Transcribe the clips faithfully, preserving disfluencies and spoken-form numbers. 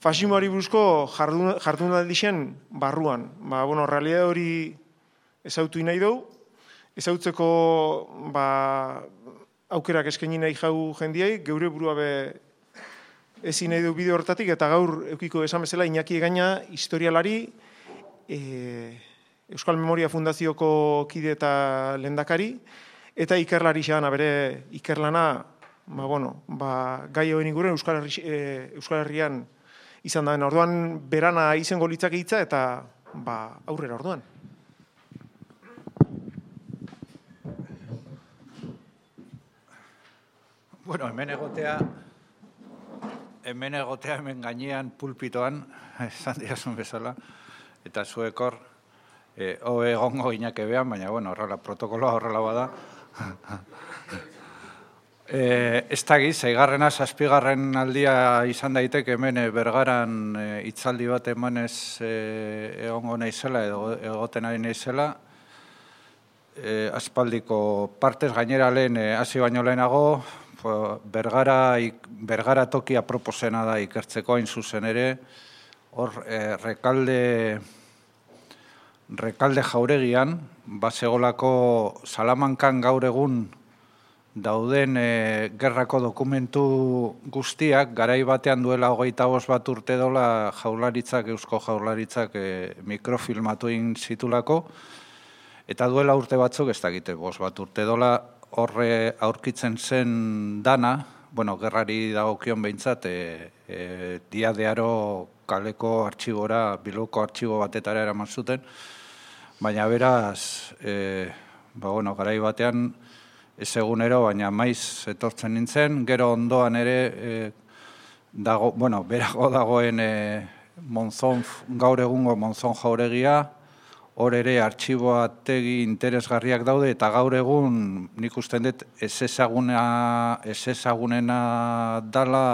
fasismoari buruzko jardunaldi zen barruan. Ba, bueno, realidade hori ezautu nahi dugu, ezautzeko ba, aukerak eskaini nahi jau jendiai, geure burua be ezin nahi du bideo hortatik, eta gaur eukiko esan bezala Iñaki Egaña historialari, e, Euskal Memoria Fundazioko kide eta lehendakari, eta ikerlari xean, bere ikerlana, ba, bueno, ba, gai hoen inguren Euskal, Herri, e, Euskal Herrian izan da. Orduan berana izango litzake hitza eta ba, aurrera orduan. Bueno, hemen egotea, hemen egotea, hemen gainean pulpitoan, esan diazun bezala, eta zuekor, e, hobe egongo inake behan, baina, bueno, horrela, protokoloa horrela bada. e, ez da giz, eigarrena, zazpigarren aldia izan daiteke hemen e, Bergaran e, itzaldi bat emanez e, egongo naizela, edo egoten ari naizela, e, aspaldiko partez gainera lehen, e, hasi baino lehenago, Bergara, Bergara tokia proposena da ikertzeko hain zuzen ere, hor eh, rekalde, rekalde jauregian, basegolako Salamankan gaur egun dauden eh, gerrako dokumentu guztiak, garai batean duela hogeita bost bat urte dola jaularitzak, eusko jaularitzak eh, mikrofilmatu egin zitulako, eta duela urte batzuk, ez dakite, bost bat urte dola, horre aurkitzen zen dana, bueno, gerrari dagokion behintzat, e, e, diadearo kaleko artxibora, Bilboko artxibo batetara eraman zuten, baina beraz, e, ba, bueno, garai batean, ez egunero, baina maiz etortzen nintzen, gero ondoan ere, e, dago, bueno, berago dagoen e, Monzon, gaur egungo Monzon jauregia, hor ere artxiboategi interesgarriak daude, eta gaur egun nik usten dut ez ezaguna, ez ezagunena dala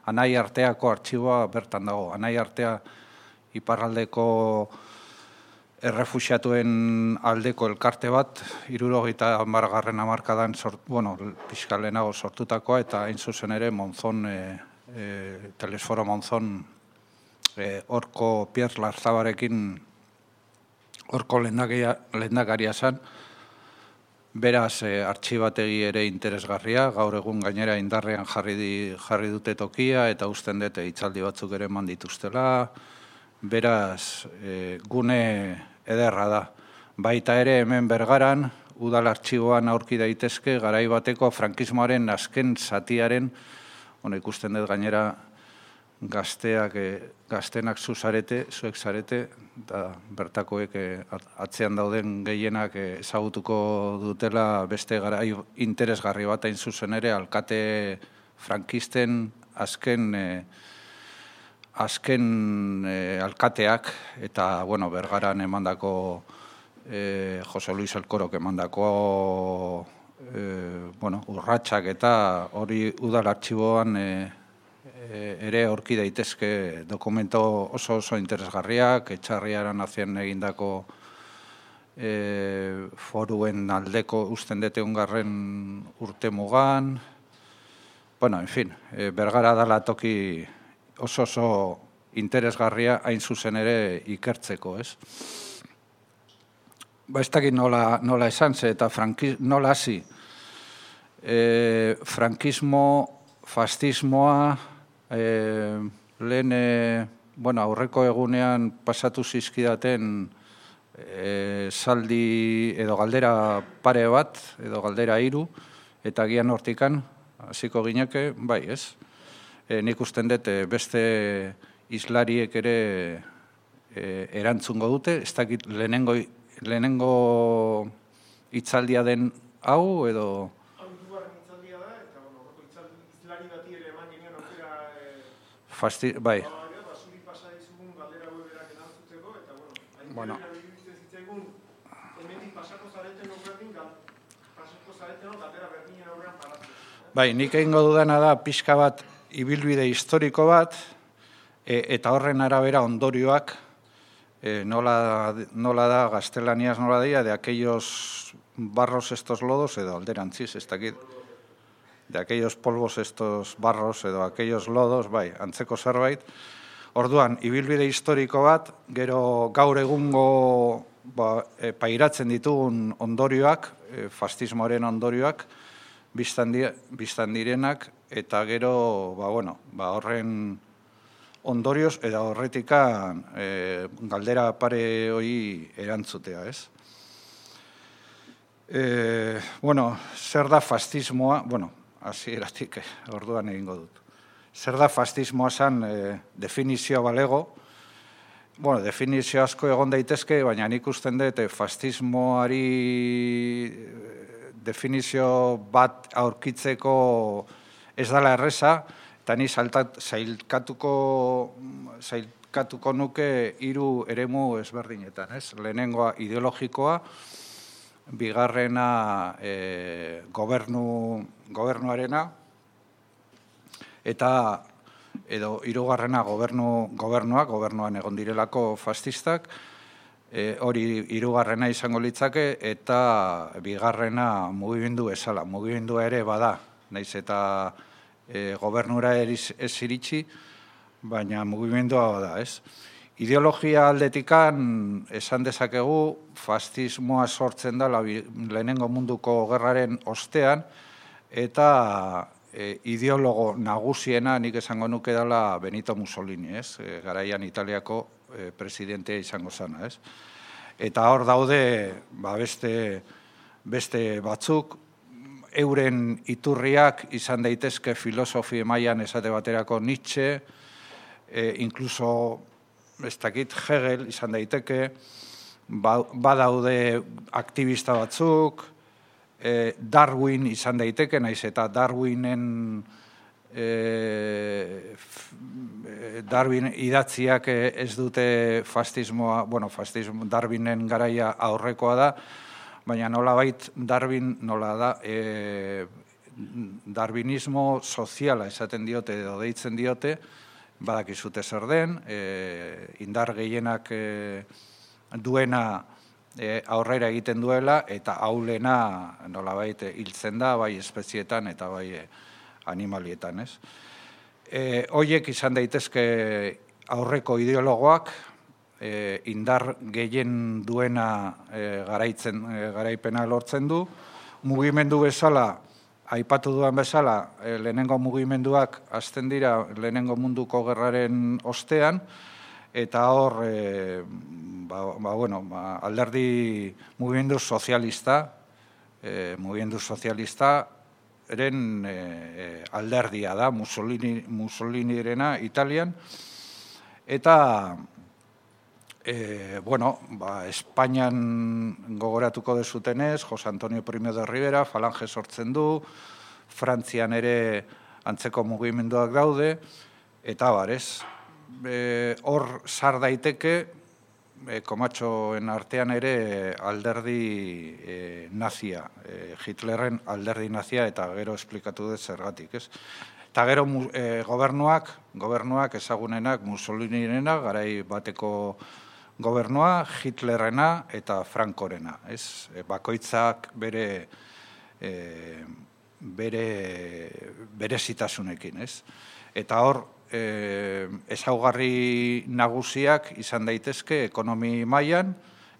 Anai Arteako artxiboa bertan dago. Anai Artea iparraldeko errefuxiatuen aldeko elkarte bat, hirurogeita hamargarren hamarkadan, bueno, pixka lehenago sortutakoa, eta hain zuzen ere Monzon, e, e, Telesforo Monzon, horko e, Pierre Larzabarekin horko lehendakaria zen, beraz e, artxibategi ere interesgarria, gaur egun gainera indarrean jarri, di, jarri dute tokia, eta usten dute hitzaldi batzuk ere eman dituztela, beraz e, gune ederra da. Baita ere hemen Bergaran, udal artxiboan aurki daitezke, garai bateko frankismoaren azken zatiaren, bueno, ikusten dut gainera, gazteak, gaztenak zu zarete, zuek zarete, da bertakoek atzean dauden gehienak ezagutuko dutela beste garai interesgarri bat hain zuzen ere, alkate frankisten azken azken alkateak, eta, bueno, Bergaran emandako eh, Jose Luis Elkorok emandako eh, bueno, urratsak eta hori udal artxiboan eh, ere aurki daitezke dokumento oso oso interesgarriak, Etxarriaran azien egindako e, foruen aldeko usten dute ungarren urte mugan. Bueno, en fin, e, Bergara dala toki oso oso interesgarria hain zuzen ere ikertzeko, ez? Ba, ez dakit nola, nola esan ze, eta frankiz, nola hasi. E, frankismo, fascismoa, E, lehen, e, bueno, aurreko egunean pasatu zizkidaten e, saldi edo galdera pare bat, edo galdera hiru, eta gian hortikan, hasiko gineke, bai, ez? E, nik usten dut beste islariek ere e, erantzungo dute, ez dakit lehenengo, lehenengo hitzaldia den hau, edo... Fasti, bai. Bueno. Bai, nik egingo dudana da pixka bat ibilbide historiko bat, e, eta horren arabera ondorioak, e, nola, nola da, gaztelaniaz nola dira, de aquellos barros estos lodos, edo alderantziz, ez dakit. De aquellos polvos estos barros edo aquellos lodos, bai, antzeko zerbait. Orduan, ibilbide historiko bat, gero gaur egungo ba, e, pairatzen ditugun ondorioak, e, fascismoaren ondorioak, biztan, di, biztan direnak, eta gero, ba, bueno, ba, horren ondorioz, eta horretikan e, galdera pare hori erantzutea, ez? E, bueno, zer da fascismoa, bueno, hasieratik orduan egingo dut. Zer da fascismoa zan e, definizioa balego, bueno, definizio asko egon daitezke, baina nik usten dut fascismoari definizio bat aurkitzeko ez dela erreza, eta ni zailkatuko, zailkatuko nuke hiru eremu ezberdinetan, ez? Lehenengoa ideologikoa, bigarrena e, gobernu, gobernuarena, eta edo hirugarrena gobernu, gobernua, gobernuan egon direlako fascistak, e, hori hirugarrena izango litzake, eta bigarrena mugimendu bezala. Mugimendua ere bada, naiz eta e, gobernura ez iritsi, baina mugimendua bada, ez? Ideologia aldetikan esan dezakegu fascismoa sortzen da lehenengo munduko gerraren ostean, eta e, ideologo nagusiena nik esango nuke dela Benito Mussolini, ez? E, garaian Italiako e, presidentea izango zana, ez? Eta hor daude ba, beste, beste batzuk, euren iturriak izan daitezke filosofi mailan esate baterako Nietzsche, e, inkluso ez dakit Hegel izan daiteke, badaude aktivista batzuk, e, Darwin izan daiteke, naiz eta Darwinen e, Darwin idatziak ez dute fascismoa, bueno, fascismo, Darwinen garaia aurrekoa da, baina nolabait Darwin nola da, e, darwinismo soziala esaten diote edo deitzen diote, badakizute zer den, e, indar gehienak e, duena e, aurrera egiten duela, eta aulena nolabait hiltzen da, bai espezietan eta bai animalietan, ez? E, hoiek izan daitezke aurreko ideologoak, e, indar gehien duena e, garaitzen, e, garaipena lortzen du, mugimendu bezala, aipatu duan bezala, e, lehenengo mugimenduak hasten dira lehenengo munduko gerraren ostean, eta hor, e, ba, ba, bueno, ba, alderdi mugimendu sozialista, e, mugimendu sozialista, eren e, alderdia da, Mussolini, Mussolinirena Italian, eta e, bueno, ba, Espainian gogoratuko dezutenez, Jose Antonio Primo de Rivera, Falange sortzen du, Frantzian ere antzeko mugimenduak daude, eta barez, e, hor sar daiteke, E, komatxoen artean ere alderdi e, nazia, e, Hitlerren alderdi nazia, eta gero esplikatu dut zergatik, ez? Eta gero e, gobernuak, gobernuak ezagunenak Mussolinirena, garai bateko gobernua, Hitlerrena eta Frankorena, ez? E, bakoitzak bere e, bere berezitasunekin, ez? Eta hor, E, ezaugarri nagusiak izan daitezke ekonomi mailan,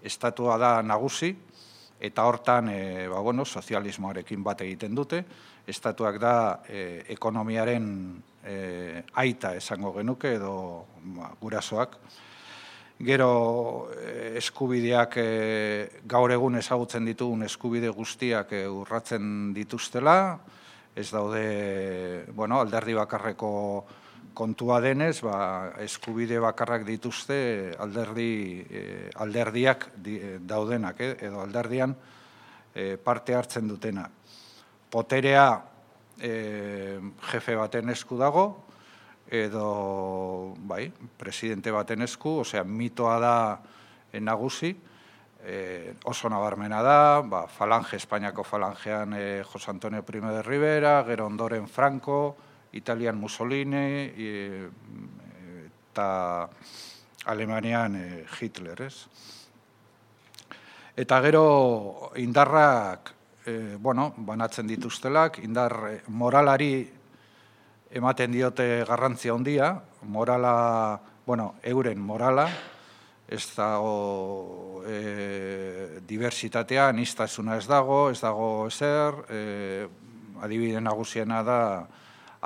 estatua da nagusi, eta hortan e, ba, bueno, sozialismoarekin bat egiten dute, estatuak da e, ekonomiaren e, aita esango genuke edo ba, gurasoak. Gero e, eskubideak e, gaur egun ezagutzen ditugun eskubide guztiak e, urratzen dituztela, ez daude, bueno, alderdi bakarreko kontua denez, ba, eskubide bakarrak dituzte alderdi, eh, alderdiak di, daudenak, eh, edo alderdian eh, parte hartzen dutena. Poterea eh, jefe baten esku dago, edo bai, presidente baten esku, osea, mitoa da eh, nagusi, eh, oso nabarmena da, ba, Falange, Espainiako Falangean eh, Jose Antonio Primo de Rivera, gero ondoren Franco, Italian Mussolini, eta Alemanian Hitler, ez? Eta gero indarrak, e, bueno, banatzen dituztelak, indar moralari ematen diote garrantzia handia, morala, bueno, euren morala, ez dago e, diversitatea, aniztasuna ez dago, ez dago ezer, e, adibide nagusiena da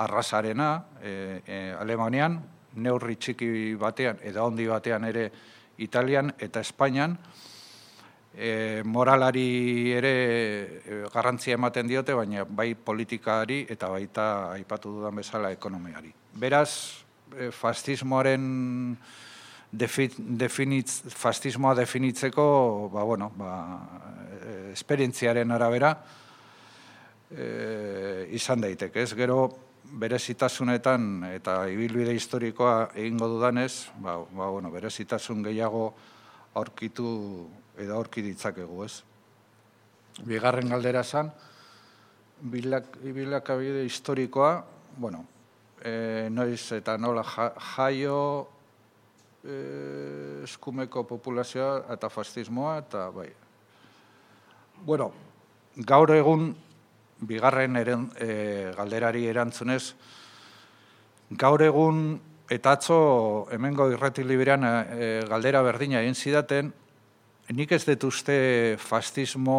arrasarena, e, e, Alemanian, neurri txiki batean, edo handi batean ere Italian eta Espainian, e, moralari ere e, garrantzia ematen diote, baina bai politikari eta baita aipatu dudan bezala ekonomiari. Beraz, e, fascismoaren definitz, fascismoa definitzeko, ba, bueno, ba, esperientziaren arabera e, izan daiteke, ez? Gero, berezitasunetan eta ibilbide historikoa egingo dudanez, ba, ba, bueno, berezitasun gehiago aurkitu edo aurki ditzakegu, ez? Bigarren galdera zan, bilak, bilakabide historikoa, bueno, e, noiz eta nola jaio e, eskumeko populazioa eta fascismoa, eta bai. Bueno, gaur egun, bigarren eren, e, galderari erantzunez, gaur egun eta atzo hemengo irrati liberan e, galdera berdina egin zidaten, nik ez dut uste fascismo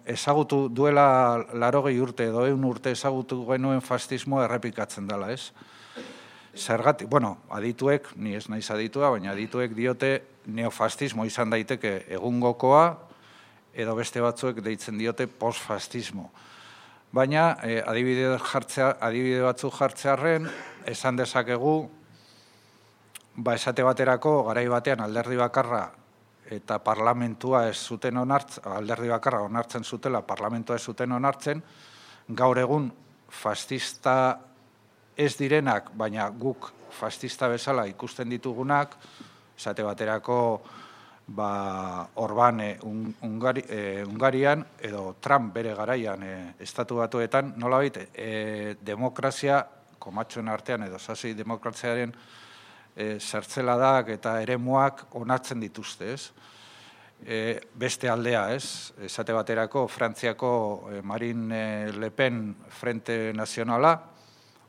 ezagutu duela larogei urte edo eun urte ezagutu genuen fascismo errepikatzen dela, ez? Zergatik, bueno, adituek, ni ez naiz aditua, baina adituek diote neofascismo izan daiteke egungokoa, edo beste batzuek deitzen diote postfascismo. Baina, eh, adibide, jartzea, adibide batzuk jartzearren, esan dezakegu, ba, esate baterako, garai batean alderdi bakarra eta parlamentua ez zuten onartzen, alderdi bakarra onartzen zutela, parlamentua ez zuten onartzen, gaur egun fascista ez direnak, baina guk fascista bezala ikusten ditugunak, esate baterako, ba, Orban e, Ungari, e, Ungarian edo Trump bere garaian e, estatu batuetan, nolabait, e, demokrazia, komatxoen artean edo sasi demokraziaren e, zertzeladak eta eremuak onartzen dituzte, ez? E, beste aldea, ez? Esate baterako, Frantziako e, Marine Le Pen Frente Nazionala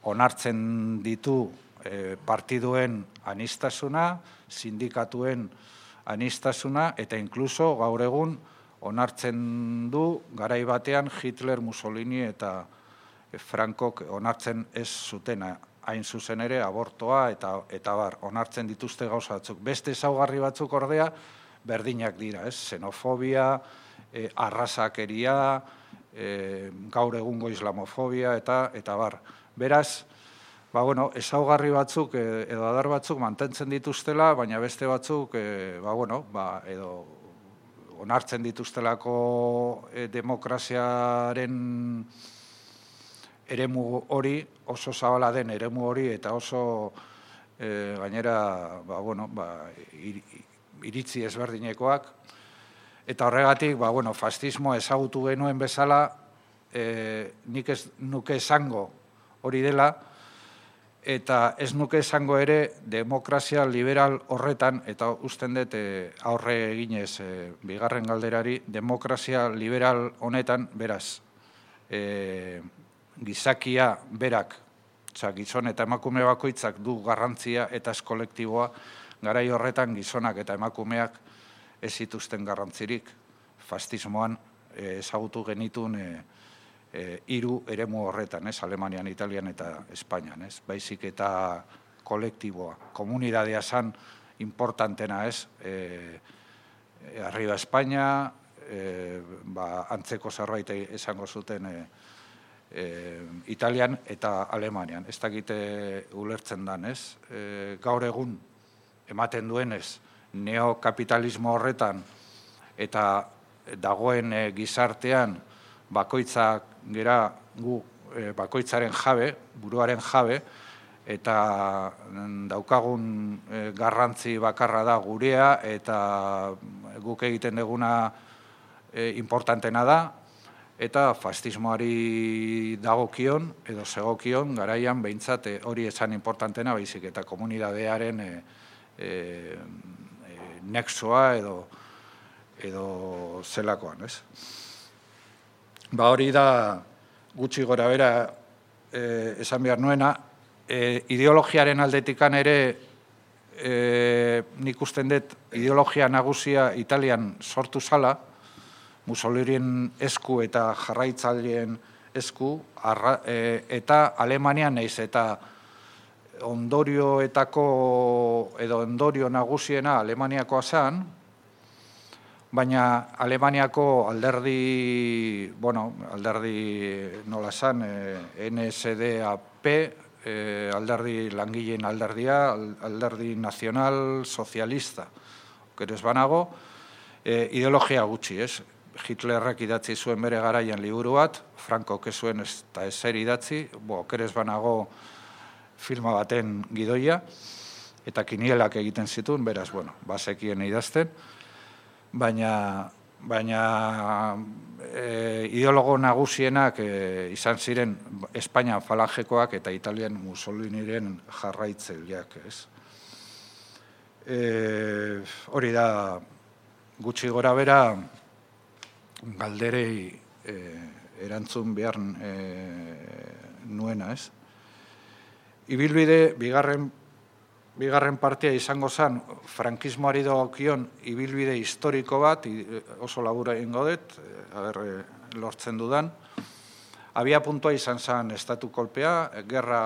onartzen ditu e, partiduen anistasuna, sindikatuen anistasuna, eta inkluso gaur egun onartzen du garai batean Hitler, Mussolini eta Frankok onartzen ez zutena, hain zuzen ere abortoa eta, eta bar, onartzen dituzte gauza batzuk. Beste ezaugarri batzuk ordea berdinak dira, ez? Xenofobia, e, arrazakeria, e, gaur egungo islamofobia eta, eta bar. Beraz, ba, bueno, ezaugarri batzuk edo adar batzuk mantentzen dituztela, baina beste batzuk, e, ba, bueno, ba, edo onartzen dituztelako e, demokraziaren eremu hori, oso zabala den eremu hori, eta oso e, gainera, ba, bueno, ba, ir, iritzi ezberdinekoak. Eta horregatik, ba, bueno, fascismo ezagutu genuen bezala, e, nik ez nuke esango hori dela, eta ez nuke esango ere demokrazia liberal horretan, eta usten dut e, aurre eginez e, bigarren galderari, demokrazia liberal honetan, beraz, e, gizakia berak, oza, gizon eta emakume bakoitzak du garrantzia eta ez kolektiboa, garai horretan gizonak eta emakumeak ez zituzten garrantzirik, fascismoan e, ezagutu genitun e, E, hiru eremu horretan, ez, Alemanian, Italian eta Espainian, ez, baizik eta kolektiboa, komunidadea zan importantena, ez, e, e, arriba Espainia, e, ba, antzeko zerbait esango zuten e, e, Italian eta Alemanian, ez dakite ulertzen dan, ez, e, gaur egun ematen duenez, neokapitalismo horretan eta dagoen e, gizartean, bakoitzak gera gu e, bakoitzaren jabe, buruaren jabe, eta daukagun e, garrantzi bakarra da gurea, eta guk egiten duguna e, importantena da, eta fascismoari dagokion, edo segokion, garaian behintzat e, hori esan importantena, baizik eta komunidadearen e, e, e, nexoa edo, edo zelakoan, ez? Ba hori da gutxi gora bera e, esan behar nuena, e, ideologiaren aldetikan ere, e, nik usten dut ideologia nagusia Italian sortu zala, Mussoliniren esku eta jarraitzaileen esku, arra, e, eta Alemanian naiz eta ondorioetako edo ondorio nagusiena Alemaniakoa zen, baina Alemaniako alderdi, bueno, alderdi nola zen, N S D A P, eh, alderdi langileen alderdia, alderdi nazional sozialista, okerez banago, eh, ideologia gutxi, ez? Hitlerrek idatzi zuen bere garaian liburu bat, Franco kezuen ez eta ezer idatzi, bo, okerez banago filma baten gidoia, eta kinielak egiten zituen, beraz, bueno, bazekien idazten, baina, baina e, ideologo nagusienak e, izan ziren Espainia falangekoak eta Italian Mussoliniren jarraitzaileak, ez? E, hori da, gutxi gora bera, galderei e, erantzun behar e, nuena, ez? Ibilbide, bigarren, bigarren partia izango zen, frankismoari dagokion ibilbide historiko bat, oso labura egingo dut, aber, lortzen dudan. Abia puntua izan zen estatu kolpea, gerra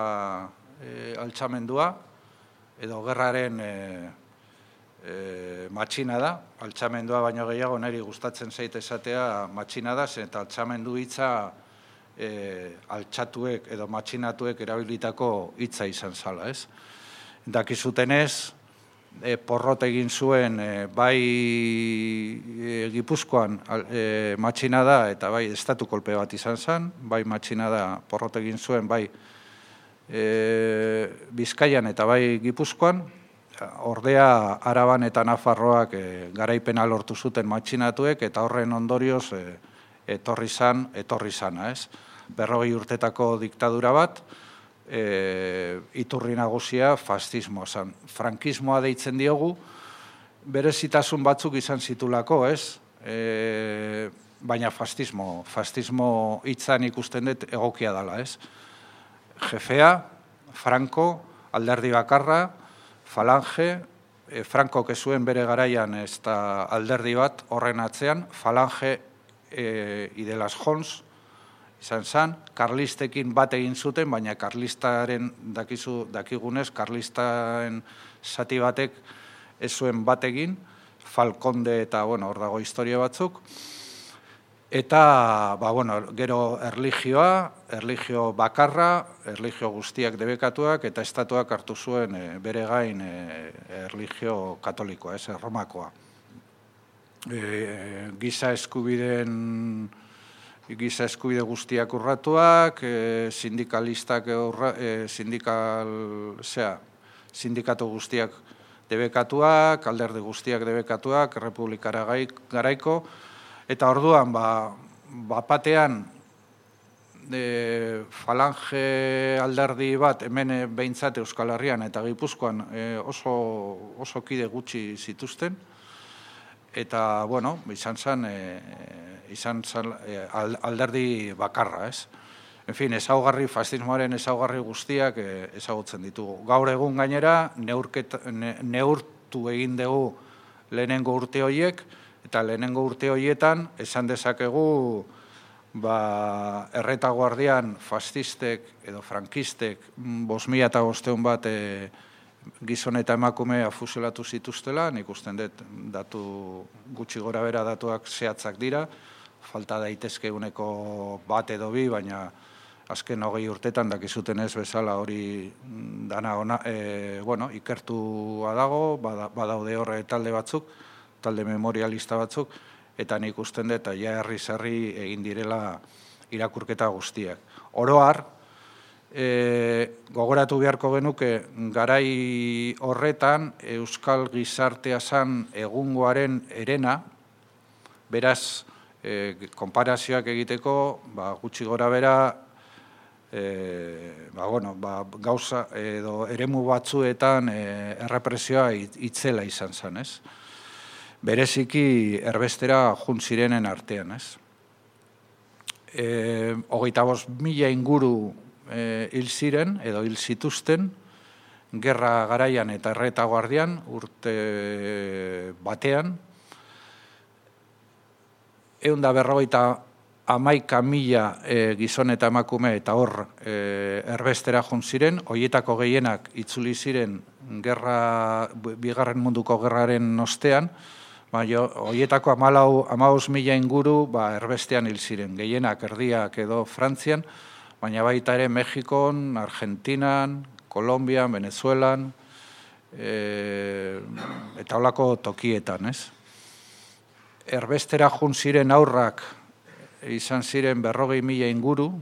e, altxamendua, edo gerraren e, e, matxina da, altxamendua baino gehiago niri gustatzen zait esatea matxina da, zen eta altxamendu hitza E, altxatuek edo matxinatuek erabilitako hitza izan zala, ez? Dakizutenez, e, porrot egin zuen e, bai e, Gipuzkoan e, matxina da eta bai estatu kolpe bat izan zen, bai matxina da porrot egin zuen bai e, Bizkaian eta bai Gipuzkoan, ordea Araban eta Nafarroak e, garaipena lortu zuten matxinatuek eta horren ondorioz e, etorri zan, etorri zana, ez? Berrogei urtetako diktadura bat, e, iturri nagusia fascismoa zan. Frankismoa deitzen diogu, berezitasun batzuk izan zitulako, ez? E, baina fascismo, fascismo hitzan ikusten dut egokia dela, ez? Jefea, Franco, alderdi bakarra, falange, e, Franco kezuen bere garaian ez da alderdi bat horren atzean, falange E, Idelas Jons, izan zen, karlistekin bat egin zuten, baina karlistaren, dakizu, dakigunez, karlistaren zati batek ez zuen bat egin, Falkonde eta, bueno, hor dago historia batzuk, eta, ba, bueno, gero erlijioa, erlijio bakarra, erlijio guztiak debekatuak, eta estatuak hartu zuen e, bere gain e, erlijio katolikoa, ez, Romakoa. E, giza eskubideen giza eskubide guztiak urratuak, e, sindikalistak urra, e, sindikal, zera, sindikatu guztiak debekatuak, alderdi guztiak debekatuak, republikara garaiko, eta orduan, ba, bapatean e, falange alderdi bat, hemen behintzat Euskal Herrian eta Gipuzkoan e, oso, oso kide gutxi zituzten, eta, bueno, izan zen, e, izan zen e, alderdi bakarra, ez? En fin, ezaugarri, fascismoaren ezaugarri guztiak e, ezagutzen ditugu. Gaur egun gainera, neurket, ne, neurtu egin dugu lehenengo urte horiek, eta lehenengo urte horietan, esan dezakegu, ba, erretaguardian fascistek edo frankistek bost mila eta bosteun bat e, gizon eta emakumea fusilatu zituztela, nik usten dut datu gutxi gora bera datuak zehatzak dira, falta daitezke uneko bat edo bi, baina azken hogei urtetan dakizuten ez bezala hori dana ona, e, bueno, ikertua dago, badaude horre talde batzuk, talde memorialista batzuk, eta nik usten dut, ja herri-zerri egin direla irakurketa guztiak. Oro har, E, gogoratu beharko genuke garai horretan euskal gizartea zan egungoaren erena, beraz, e, konparazioak egiteko, ba, gutxi gora bera, e, ba, bueno, ba, gauza edo eremu batzuetan e, errepresioa itzela izan zen, ez? Bereziki erbestera juntzirenen artean, ez? E, hogeita bost mila inguru hil ziren, edo hil zituzten, gerra garaian eta erretaguardian, urte batean, ehun eta berrogeita hamaika mila gizon eta emakume eta hor erbestera joan ziren, horietako gehienak itzuli ziren gerra, bigarren munduko gerraren ostean, horietako hamabost mila inguru erbestean hil ziren, gehienak erdiak edo Frantzian, baina baita ere Mexikon, Argentinan, Kolombian, Venezuelan, eta holako tokietan, ez? Erbestera joan ziren aurrak izan ziren berrogei mila inguru,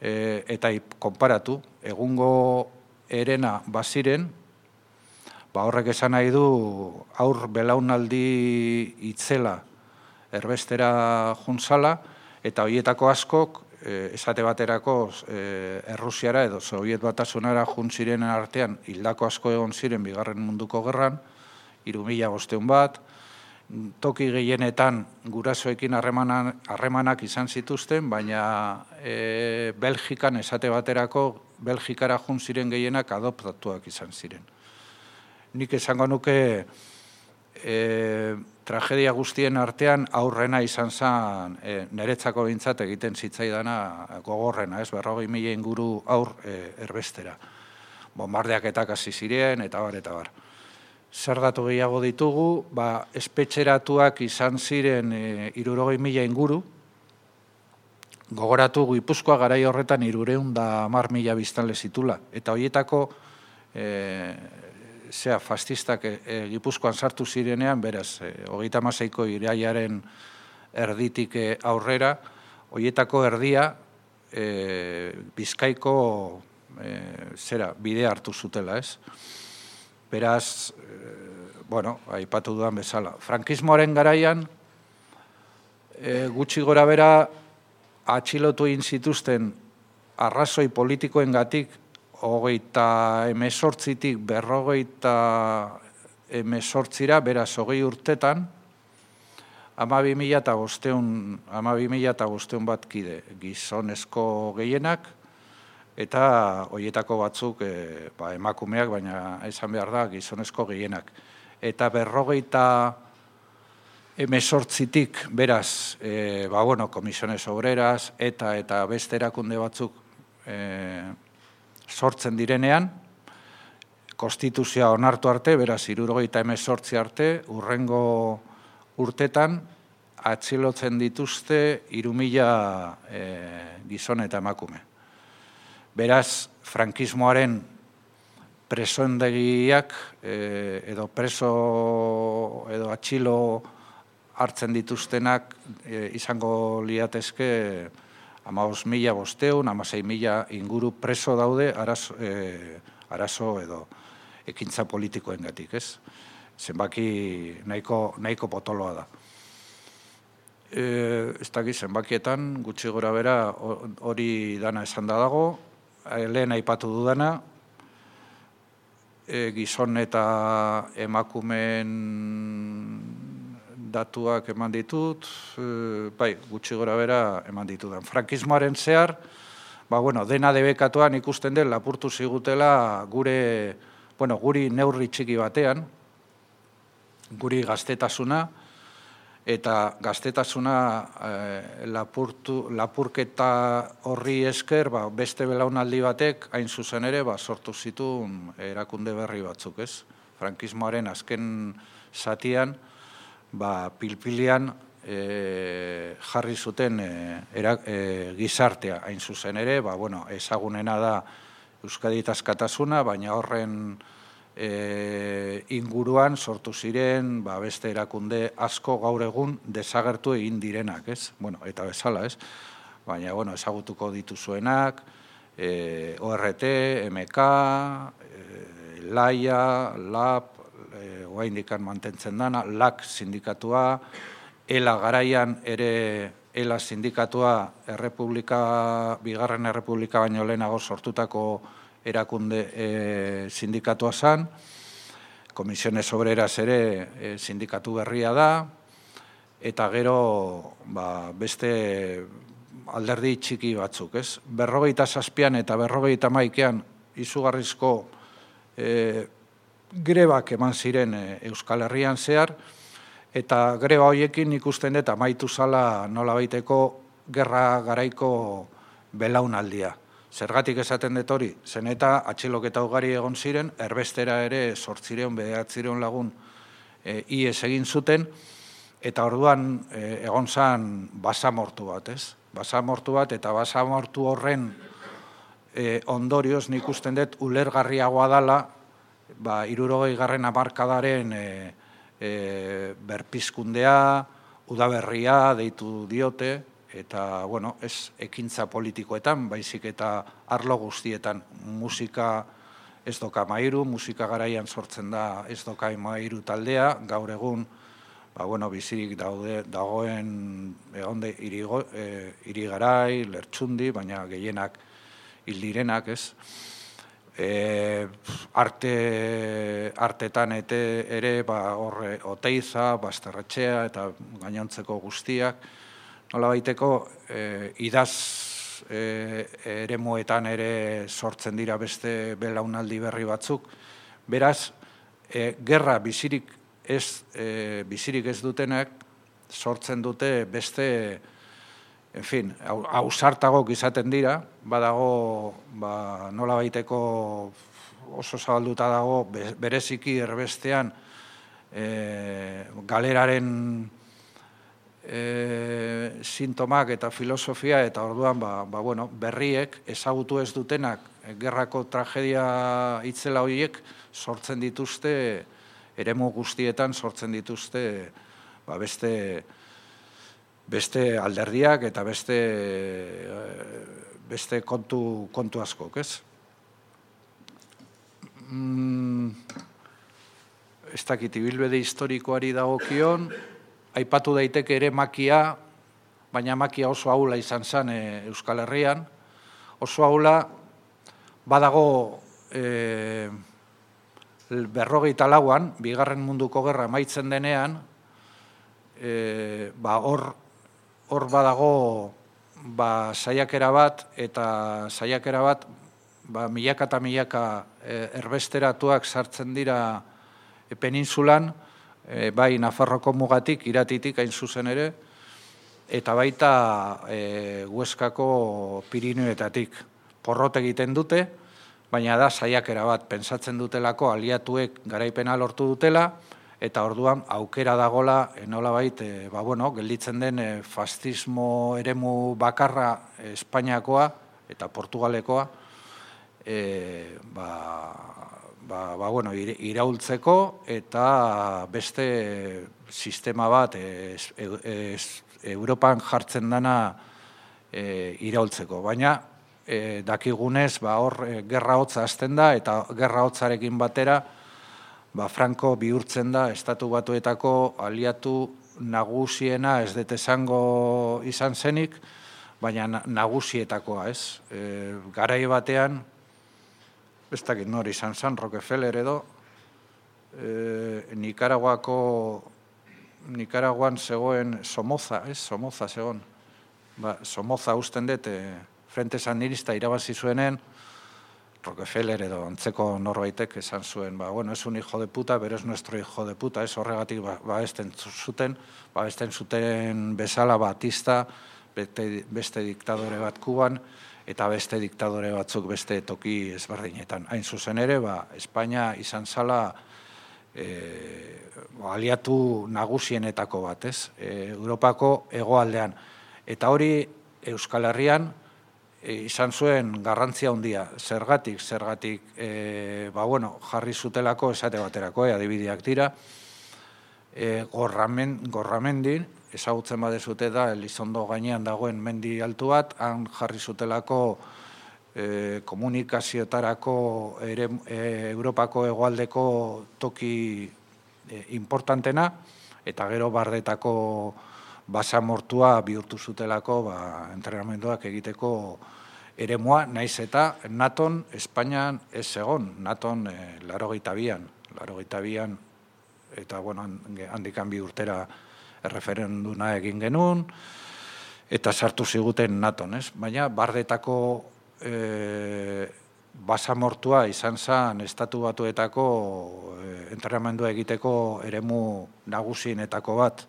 eta konparatu, egungo herena baziren, horrek esan nahi du aur belaunaldi itzela erbestera juntzala, eta horietako askok, esate baterako Errusiara edo Sobiet Batasunara juntziren artean hildako asko egon ziren bigarren munduko gerran, hiru mila bostehun bat, toki gehienetan gurasoekin harremanak izan zituzten, baina Belgikan esate baterako Belgikara juntziren gehienak adoptatuak izan ziren. Nik esango nuke tragedia guztien artean aurrena izan zen, niretzako bintzat egiten zitzaidana gogorrena, ez, berrogei mila inguru aur erbestera. Bombardeaketak hasi ziren, eta bar, eta bar. Zer datu gehiago ditugu, espetxeratuak izan ziren hirurogei mila inguru, gogoratu Gipuzkoa garai horretan hirurehun eta hamar mila biztanle zitula, eta horietako zea, fastistak Gipuzkoan sartu zirenean, beraz, hogeita hamaseiko irailaren erditik aurrera, horietako erdia Bizkaiko zera, bidea hartu zutela, ez? Beraz, bueno, aipatu dudan bezala. Frankismoaren garaian, gutxi gora bera, atxilotu egin zituzten arrazoi politikoengatik hogeita hemezortzitik berrogeita hemezortzira, beraz, hogei urtetan, hamabi mila eta bostehun bat kide, gizonezko gehienak, eta horietako batzuk emakumeak, baina esan behar da, gizonezko gehienak. Eta berrogeita hemezortzitik, beraz, Komisiones Obreras, eta eta beste erakunde batzuk sortzen direnean, konstituzioa onartu arte, beraz, hirurogeita hemezortzi arte, hurrengo urtetan, atxilotzen dituzte hiru mila gizon eta emakume. Beraz, frankismoaren presoendegiak edo preso edo atxilo hartzen dituztenak izango liatezke hamabost mila bostehun, hamasei mila inguru preso daude arazo edo ekintza politikoengatik, ez? Zenbaki nahiko potoloa da. Ez dakit zenbakietan, gutxi gora bera hori dana esan da dago, lehen aipatu dudana, gizon eta emakumeen datuak eman ditut, bai, gutxi gora bera eman ditudan. Frankismoaren zehar, dena debekatuan ikusten den lapurtu zigutela gure, bueno, guri neurri txiki batean, guri gaztetasuna, eta gaztetasuna lapurketa horri esker, beste belaunaldi batek, hain zuzen ere, sortu zituen erakunde berri batzuk, ez? Frankismoaren azken zatian, pilpilian jarri zuten gizartea, hain zuzen ere, ezagunena da Euskadi Askatasuna, baina horren inguruan sortu ziren beste erakunde asko gaur egun desagertu egin direnak, ez? Eta bezala, ez? Baina, ezagutuko dituzuenak, O R T, M K, Laia, Lab, oraindik mantentzen dana, L A C sindikatua, ELA garaian ere ELA sindikatua Errepublika, Bigarren Errepublika baino lehenago sortutako erakunde sindikatua zan, Komisiones Obreras ere sindikatu berria da, eta gero beste alderdi txiki batzuk, ez? Berrogeita zazpian eta berrogeita maikean izugarrizko e, grebak eman ziren e, Euskal Herrian zehar, eta greba horiekin ikusten dut amaitu zala nolabaiteko gerra garaiko belaunaldia. Zergatik esaten dut hori, zen eta atxiloketa ugari egon ziren, erbestera ere zortzireun, bederatzireun lagun e, ies egin zuten, eta orduan e, egon zan basamortu bat, ez? Basamortu bat, eta basamortu horren e, ondorioz nik usten dut ulergarriagoa dala, ba, hirurogei garren hamarkadaren e, e, berpizkundea, udaberria deitu diote, eta, bueno, ez ekintza politikoetan, baizik eta arlo guztietan musika ez doka mairu, musika garaian sortzen da ez doka mairu taldea, gaur egun, ba, bueno, bizirik daude, dagoen egonde irigo, e, irigarai, lertxundi, baina gehienak hildirenak, ez? E, arte, artetan ete, ere, ba, horre, Oteiza, Basterretxea eta gainontzeko guztiak, nola baiteko, e, idaz e, eremuetan ere sortzen dira beste belaunaldi berri batzuk. Beraz, e, gerra bizirik ez, e, bizirik ez dutenak sortzen dute beste, en fin, ausartagok izaten dira, badago, ba, nola baiteko oso zabalduta dago, bereziki erbestean e, galeraren e, sintomak eta filosofia, eta orduan, ba, ba, bueno, berriek ezagutu ez dutenak, gerrako tragedia itzela horiek sortzen dituzte, eremu guztietan sortzen dituzte ba, beste, beste alderdiak eta beste, beste kontu, kontu askok, ez? Mm, ez dakit ibilbide historikoari dagokion, aipatu daiteke ere makia, baina makia oso ahula izan zen e, Euskal Herrian, oso ahula badago e, berrogeita lauan, bigarren munduko gerra amaitzen denean, e, ba, hor, hor badago ba, saiakera bat, eta saiakera bat ba, milaka eta milaka e, erbesteratuak sartzen dira e, peninsulan, e, bai Nafarroko mugatik, Iratitik hain zuzen ere, eta baita e, Hueskako Pirinioetatik. Porrot egiten dute, baina da saiakera bat, pentsatzen dutelako aliatuek garaipena lortu dutela, eta orduan aukera dagola nolabait, e, ba, bueno, gelditzen den e, fascismo eremu bakarra e, Espainiakoa eta Portugalekoa, e, ba, ba, ba, bueno, iraultzeko eta beste sistema bat e, e, e, Europan jartzen dana e, iraultzeko. Baina, E, dakigunez, ba, hor e, gerra hotza hasten da, eta gerra hotzarekin batera ba, Franco bihurtzen da Estatu Batuetako aliatu nagusiena, ez dut esango izan zenik, baina nagusietakoa, ez? E, garai batean, ez dakit nori izan zen, Rockefeller edo, e, Nikaraguako, Nikaraguan zegoen Somoza, ez? Somoza zegoen. Ba, Somoza usten dut, e, Frente Sandinista irabazi zuenen, Rockefeller edo antzeko norbaitek esan zuen, ba, bueno, es un hijo de puta, pero es nuestro hijo de puta, ez horregatik ba, babesten zuten, babesten zuten bezala Batista, beste, beste diktadore bat Kuban, eta beste diktadore batzuk beste toki ezberdinetan. Hain zuzen ere, ba, Espainia izan zala e, aliatu nagusienetako bat, ez? E, Europako hegoaldean. Eta hori Euskal Herrian, E, izan zuen garrantzia handia, zergatik, zergatik, e, ba, bueno, jarri zutelako esate baterako, e, adibideak dira, e, gorramen, gorramendin, ezagutzen badezute da, Elizondo gainean dagoen mendi altu bat, han jarri zutelako e, komunikazioetarako ere, e, Europako hegoaldeko toki e, importantena, eta gero bardetako basamortua bihurtu zutelako ba, entrenamenduak egiteko eremua, naiz eta Naton Espainian ez egon, Naton e, larogeita bian, larogeita bian, eta bueno, handikan bi urtera erreferenduna egin genuen, eta sartu ziguten naton, ez? Baina bardetako e, basamortua izan zen estatu batuetako e, entrenamendua egiteko eremu nagusienetako bat.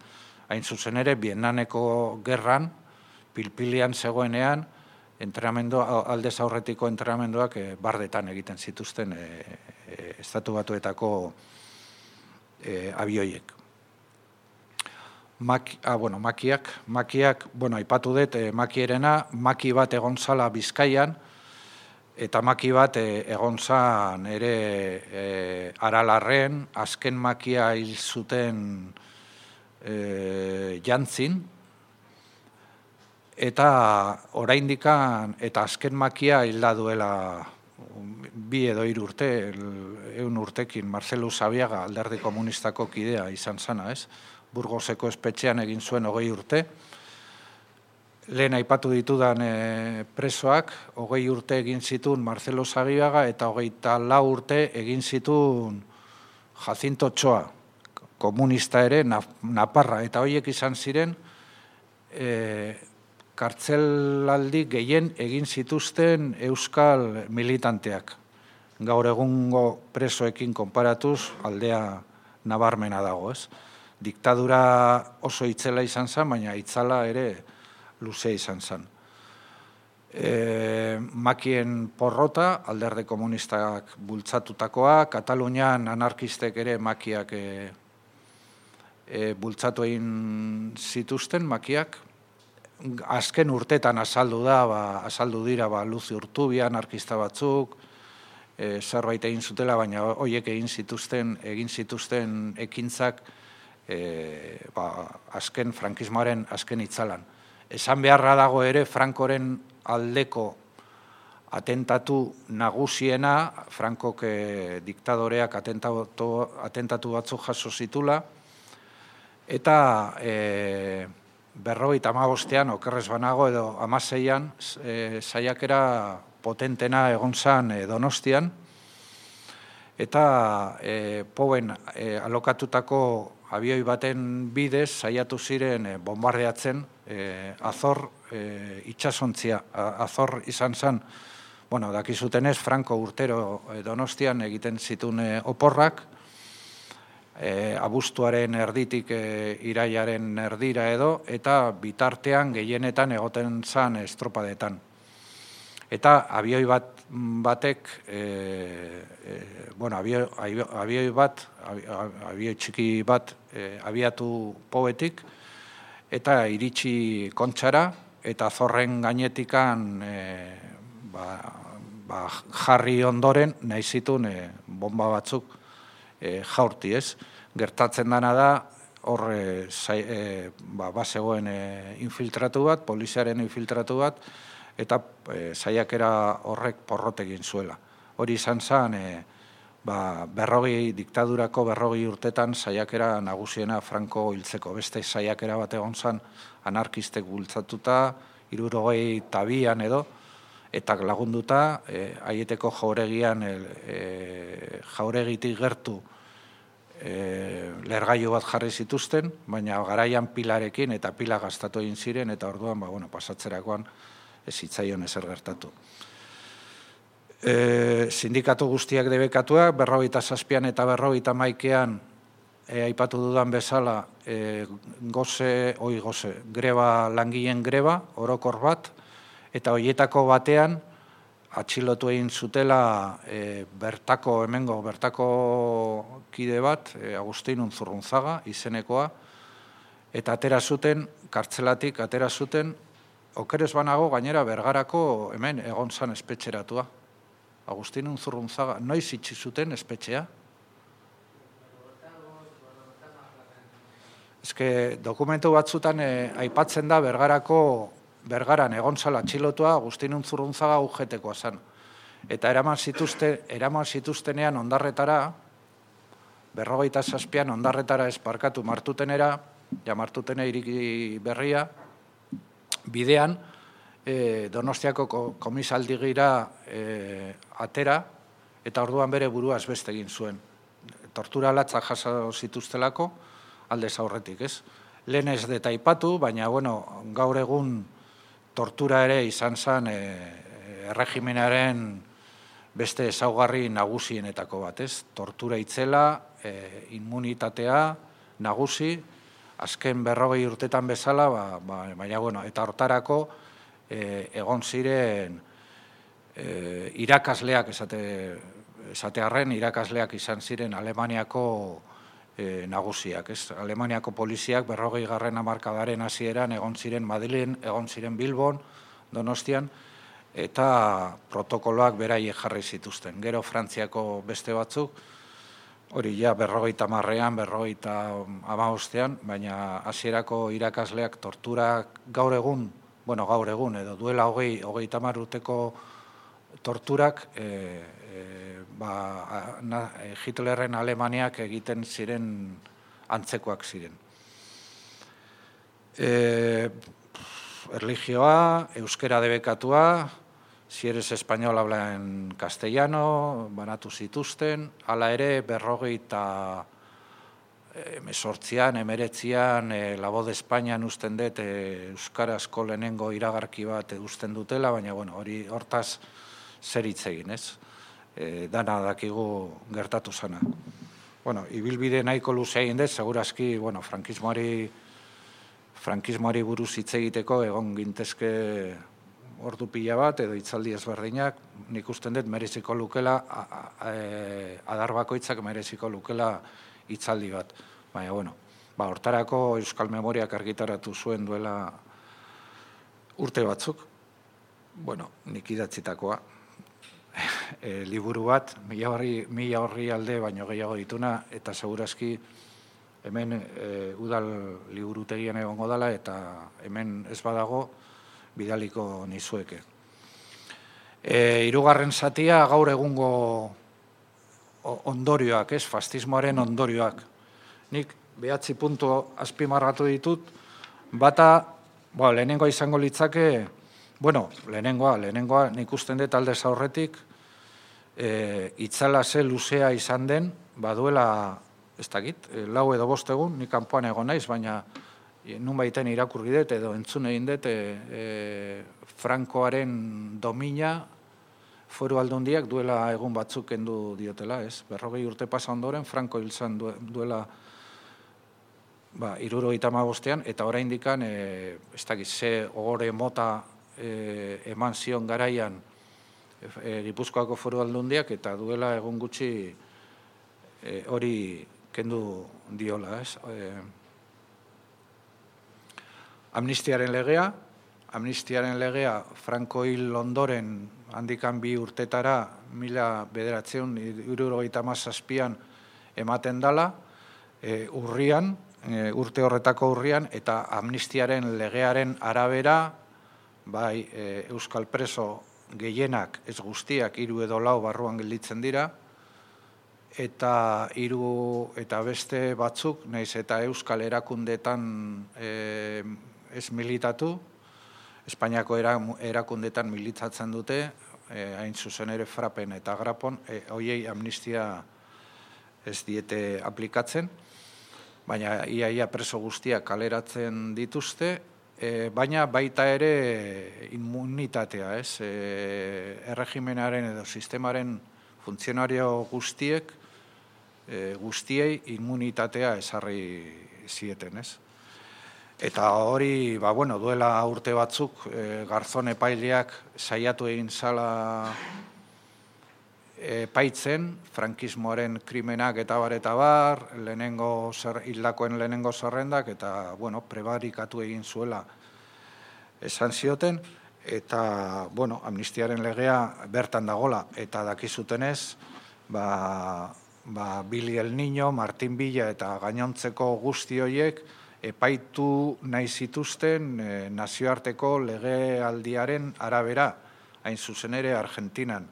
Hain zuzen ere, Vietnameko gerran, pilpilian zegoenean, entrenamendu, aldez aurretiko entrenamenduak e, bardetan egiten zituzten e, e, estatu batuetako e, abioiek. Maki, ah, bueno, makiak, makiak, bueno, aipatu dut, e, makierena, maki bat egon zala Bizkaian, eta maki bat e, egon zan ere e, Aralarren, azken makia hil zuten e, jantzin, eta oraindikan, eta azken makia hilda duela bi edo hiru urte, ehun urtekin, Marcelo Sabiaga, Alderdi Komunistako kidea izan zana, ez? Burgoseko espetxean egin zuen hogei urte. Lehen aipatu ditudan e, presoak, hogei urte egin zituen Marcelo Sabiaga eta hogeita lau urte egin zituen Jacinto Ochoa, komunista ere, Naparra, eta horiek izan ziren e, kartzelaldi gehien egin zituzten euskal militanteak. Gaur egungo presoekin konparatuz aldea nabarmena dago, ez? Diktadura oso itzela izan zen, baina itzala ere luze izan zen. E, makien porrota, Alderdi Komunistak bultzatutakoa, Katalunian anarkistek ere makiak e, e, bultzatu egin zituzten, makiak. Azken urtetan azaldu da, ba, azaldu dira ba, Luzi Urtubia, anarkista batzuk, e, zerbait egin zutela, baina horiek egin zituzten, egin zituzten ekintzak E, ba, azken frankismoaren azken itzalan. Esan beharra dago ere Frankoren aldeko atentatu nagusiena, Frankok e, diktadoreak atentatu, atentatu batzuk jaso zitula, eta e, berrogeita hamabostean, okerrez banago edo hamaseian, e, saiakera potentena egon zan e, Donostian, eta e, Poben e, alokatutako abioi baten bidez saiatu ziren e, bombardeatzen e, Azor e, itsasontzia. Azor izan zen, bueno, dakizutenez, Franco urtero e, Donostian egiten zituen e, oporrak, e, abuztuaren erditik e, iraiaren erdira edo, eta bitartean gehienetan egoten zen estropadetan. Eta abioi bat batek, e, e, bueno, abioi, abioi bat, abioi txiki bat e, abiatu Pobetik, eta iritsi Kontxara, eta Zorren gainetikan e, ba, ba, jarri ondoren nahi zituen e, bomba batzuk e, jaurti, ez? Gertatzen dana da, hor e, e, ba, bazegoen e, infiltratu bat, poliziaren infiltratu bat, eta e, saiakera horrek porrot egin zuela. Hori izan zen, e, ba, berrogei, diktadurako berrogei urtetan saiakera nagusiena Franco hiltzeko. Beste saiakera bat egon zen anarkistek bultzatuta, hirurogei tabian edo, eta lagunduta, e, aieteko jauregian, e, jauregitik gertu e, lergailu bat jarri zituzten, baina garaian pilarekin eta pila gastatu egin ziren, eta orduan, ba, bueno, pasatzerakoan, ez zitzaion ezer gertatu. E, sindikatu guztiak debekatuak, berrogeita zazpian eta berrogeita maikean, e, aipatu dudan bezala, e, goze, oi goze, greba, langileen greba, orokor bat, eta horietako batean, atxilotu egin zutela e, bertako, hemengo, bertako kide bat, e, Agustin Unzurrunzaga, izenekoa, eta atera zuten, kartzelatik atera zuten, okerez banago gainera Bergarako hemen egon zan espetxeratua. Agustin Unzurrunzaga, noiz itxi zuten espetxea? Ezke, dokumentu batzutan e, aipatzen da Bergarako, Bergaran egon zala atxilotua Agustin Unzurrunzaga U G T-koa zan. Eta eraman zituzte, eraman zituztenean ondarretara, berrogeita zazpian ondarretara esparkatu martutenera, ja martutene iriki berria, bidean, e, Donostiako komisaldigira e, atera, eta orduan bere burua beste egin zuen. Tortura latzak jaso zituztelako, aldez aurretik, ez? lehen ez deta aipatu, baina bueno, gaur egun tortura ere izan zen e, erregimenaren beste ezaugarri nagusienetako bat, ez? Tortura itzela, e, immunitatea nagusi, azken berrogei urtetan bezala, ba, ba, baina bueno, eta hortarako e, egon ziren e, irakasleak esate, esatearren, irakasleak izan ziren Alemaniako e, nagusiak, ez? Alemaniako poliziak berrogei garren hamarkadaren hasieran egon ziren Madrilen, egon ziren Bilbon, Donostian, eta protokoloak beraiek jarri zituzten. Gero Frantziako beste batzuk, hori ja berrogeita marrean, berrogeita hamabostean, baina hasierako irakasleak torturak gaur egun, bueno, gaur egun, edo duela hogei, hogeita hamar urteko torturak, e, e, ba, na, Hitlerren Alemaniak egiten ziren antzekoak ziren. E, erlijioa, euskera debekatua, si eres español habla en castellano, banatu zituzten, hala ere berrogeita emesortzian, emeretzian, e, La Voz de Espainian usten dut e, euskarazko lehenengo iragarki bat usten dutela, baina bueno, hori hortaz zer hitz egin, ez? E, dana dakigu gertatu zana. Bueno, ibilbide nahiko luze egin dut, segurazki, bueno, frankismoari, frankismoari buruz hitz egiteko egon gintezke ordu pila bat, edo hitzaldi ezberdinak, nik usten dut mereziko lukela, adar bakoitzak mereziko lukela hitzaldi bat. Baina, bueno, ba, hortarako Euskal Memoriak argitaratu zuen duela urte batzuk, bueno, nik idatzitakoa, e, liburu bat, mila horri, mila horri alde baino gehiago dituna, eta segurazki hemen e, udal liburutegian egongo dela, eta hemen ez badago, bidaliko nizueke. E, hirugarren zatia gaur egungo ondorioak, ez, fascismoaren ondorioak. Nik behatzi puntu azpimarratu ditut, bata, ba, lehenengoa izango litzake, bueno, lehenengoa, lehenengoa nik usten dut aldez aurretik, e, itzala ze luzea izan den, baduela, ez dakit, lau edo bost egun, nik kanpoan egon naiz, baina nun baiten irakurri dut edo entzun egin dut e, e, Frankoaren domina Foru Aldundiak duela egun batzuk kendu diotela, ez? Berrogei urte pasa ondoren, Franko hil zen duela ba, hirurogeita hamabostean, eta oraindikan e, ez dakit, ze ogore mota e, eman zion garaian e, Gipuzkoako Foru Aldundiak, eta duela egun gutxi e, hori kendu diola, ez? E, Amnistiaren legea, amnistiaren legea Franko hil ondoren handikan bi urtetara mila bederatzeun hirurogeita hamazazpian ematen dala, e, urrian, e, urte horretako urrian, eta amnistiaren legearen arabera, bai e, euskal preso gehienak, ez guztiak, hiru edo lau barruan gelditzen dira, eta hiru eta beste batzuk, naiz eta euskal erakundetan e, ez militatu, Espainiako erakundetan militatzen dute, eh, hain zuzen ere Frapen eta Grapon, eh, hoiei amnistia ez diete aplikatzen, baina iaia preso guztiak kaleratzen dituzte, eh, baina baita ere immunitatea, ez? Eh, erregimenaren edo sistemaren funtzionario guztiek, eh, guztiei immunitatea ezarri zieten, ez? Eta hori, ba, bueno, duela urte batzuk, e, Garzon epaileak saiatu egin zala epaitzen, frankismoaren krimenak eta bar eta bar, lehenengo zer, hildakoen lehenengo zerrendak, eta, bueno, prebarikatu egin zuela esan zioten, eta, bueno, amnistiaren legea bertan dagola, eta dakizutenez, ba, ba, Billy el Niño, Martin Villa eta gainontzeko guzti horiek, epaitu nahi zituzten e, nazioarteko legealdiaren arabera, hain zuzen ere Argentinan.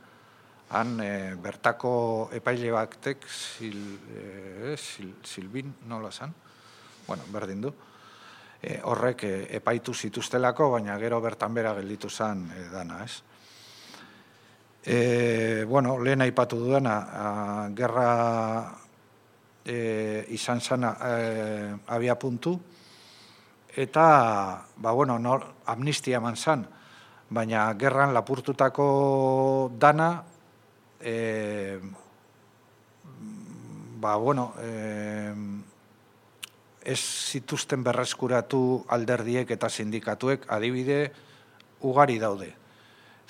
Han e, bertako epaile batek, sil, e, sil, Silbin, nola zan? Bueno, berdin du. E, horrek e, epaitu zituztelako, baina gero bertan bera gelditu zen e, dana, ez? E, bueno, lehen aipatu duena, a, gerra... E, izan zana e, abia puntu, eta, ba, bueno, nor, amnistia eman zan, baina gerran lapurtutako dana, e, ba, bueno, e, ez zituzten berreskuratu alderdiek eta sindikatuek adibide ugari daude.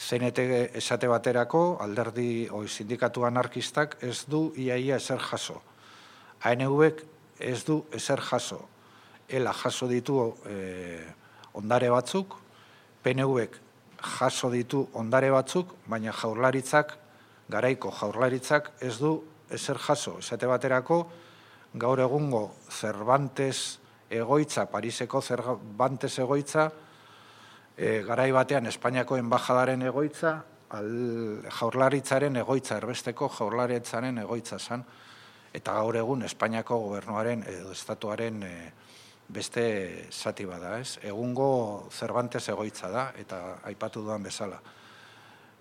C N T esate baterako alderdi oi sindikatu anarkistak ez du iaia ezer jaso. A N V-ek ez du ezer jaso. Ela jaso ditu e, ondare batzuk, P N V-ek jaso ditu ondare batzuk, baina jaurlaritzak, garaiko jaurlaritzak ez du ezer jaso. Esate baterako, gaur egungo Cervantes egoitza, Pariseko Cervantes egoitza, e, garai batean Espainiako enbajadaren egoitza, al, jaurlaritzaren egoitza, erbesteko jaurlaritzaren egoitza zan, eta gaur egun Espainiako gobernuaren edo estatuaren e, beste zati bada, ez? Egungo Cervantes egoitza da, eta aipatu duan bezala.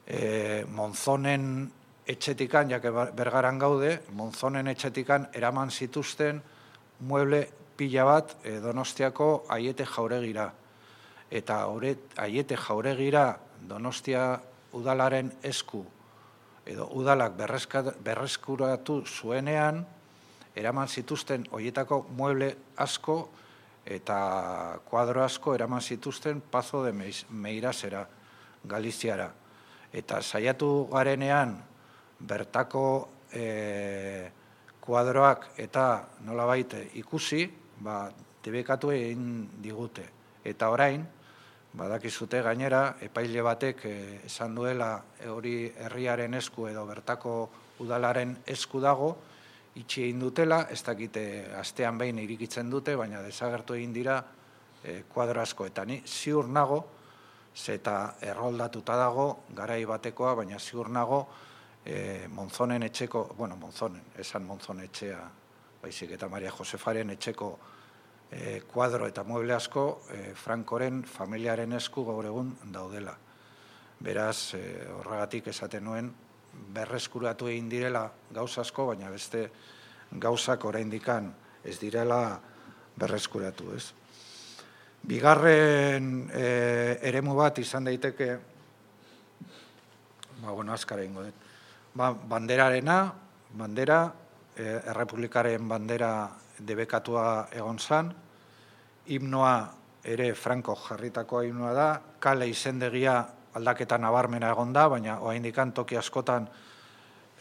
E, Monzonen etxetikan, jake Bergaran gaude, Monzonen etxetikan eraman zituzten mueble pila bat e, Donostiako Aiete jauregira. Eta horret Aiete jauregira Donostia udalaren esku, edo udalak berreskuratu zuenean, eraman zituzten horietako mueble asko eta kuadro asko eraman zituzten Pazo de Meirasera, Galiziara. Eta saiatu garenean bertako e, kuadroak eta nolabait ikusi, ba, debekatu egin digute. Eta orain, badakizute gainera, epaile batek e, esan duela hori herriaren esku edo bertako udalaren esku dago, itxi egin dutela, ez dakite astean behin irikitzen dute, baina desagertu egin dira e, kuadro asko. Eta ni ziur nago, zeta erroldatuta dago, garai batekoa, baina ziur nago, e, Monzonen etxeko, bueno, Monzonen, esan Monzon etxea, baizik eta Maria Josefaren etxeko e, kuadro eta mueble asko, e, Frankoren familiaren esku gaur egun daudela. Beraz, e, horregatik esaten nuen, berreskuratu egin direla gauza asko, baina beste gauzak oraindikan ez direla berreskuratu, ez? Bigarren e, eremu bat izan daiteke, ba, bueno, azkara ingo dut, ba, banderarena, bandera, e, errepublikaren bandera debekatua egon zan, himnoa ere Franco jarritakoa himnoa da, kale izendegia aldaketa nabarmena egon da, baina oraindikan toki askotan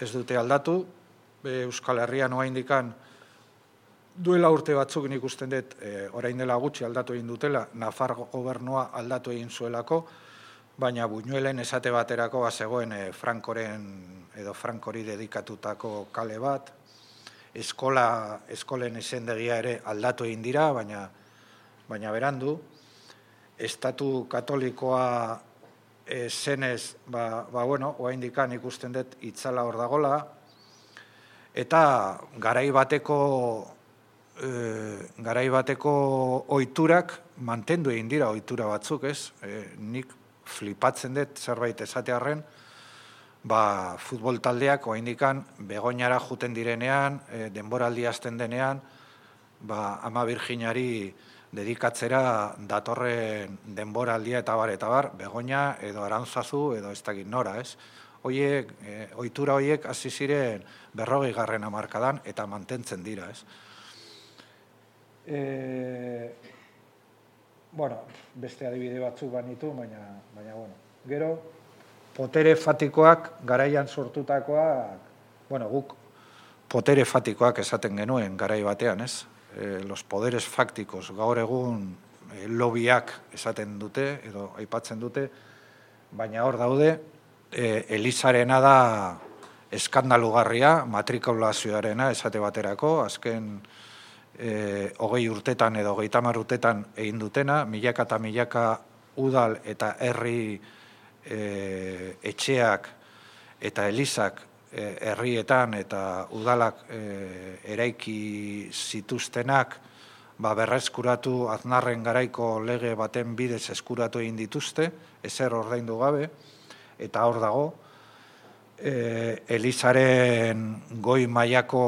ez dute aldatu. Euskal Herrian oraindikan duela urte batzuk nik usten dut, e, orain dela gutxi aldatu egin dutela, Nafar gobernua aldatu egin zuelako, baina Buñuelen esate baterako bazegoen e, Frankoren edo Frankori dedikatutako kale bat, eskola, eskolen izendegia ere aldatu egin dira, baina, baina berandu, Estatu Katolikoa E, zenez, ba, ba bueno, oraindikan ikusten dut itzala hor dagola, eta garai bateko e, garai bateko ohiturak mantendu egin dira ohitura batzuk, ez? E, nik flipatzen dut zerbait esatearren, ba, futbol taldeak oraindikan Begoñara juten direnean, e, denboraldi hasten denean, ba, Ama Virginari dedikatzera datorren denboraldia eta bar, eta bar, Begoña edo Arantzazu edo ez dakit nora, ez? Oiek, e, ohitura horiek hasi ziren berrogei garren hamarkadan eta mantentzen dira, ez? E, bueno, beste adibide batzuk banitu, baina, baina, bueno, gero, potere fatikoak garaian sortutakoak, bueno, guk potere fatikoak esaten genuen garai batean, ez? Eh, los poderes fácticos gaur egun eh, lobiak esaten dute edo aipatzen dute, baina hor daude eh, Elizarena da eskandalugarria, matrikulazioarena esate baterako, azken eh, hogei urtetan edo hogeita hamar urtetan egin dutena, milaka eta milaka udal eta herri eh, etxeak eta elizak herrietan eta udalak e, eraiki zituztenak ba, berreskuratu Aznarren garaiko lege baten bidez eskuratu egin dituzte, ezer ordaindu gabe, eta hor dago, e, Elizaren goi mailako,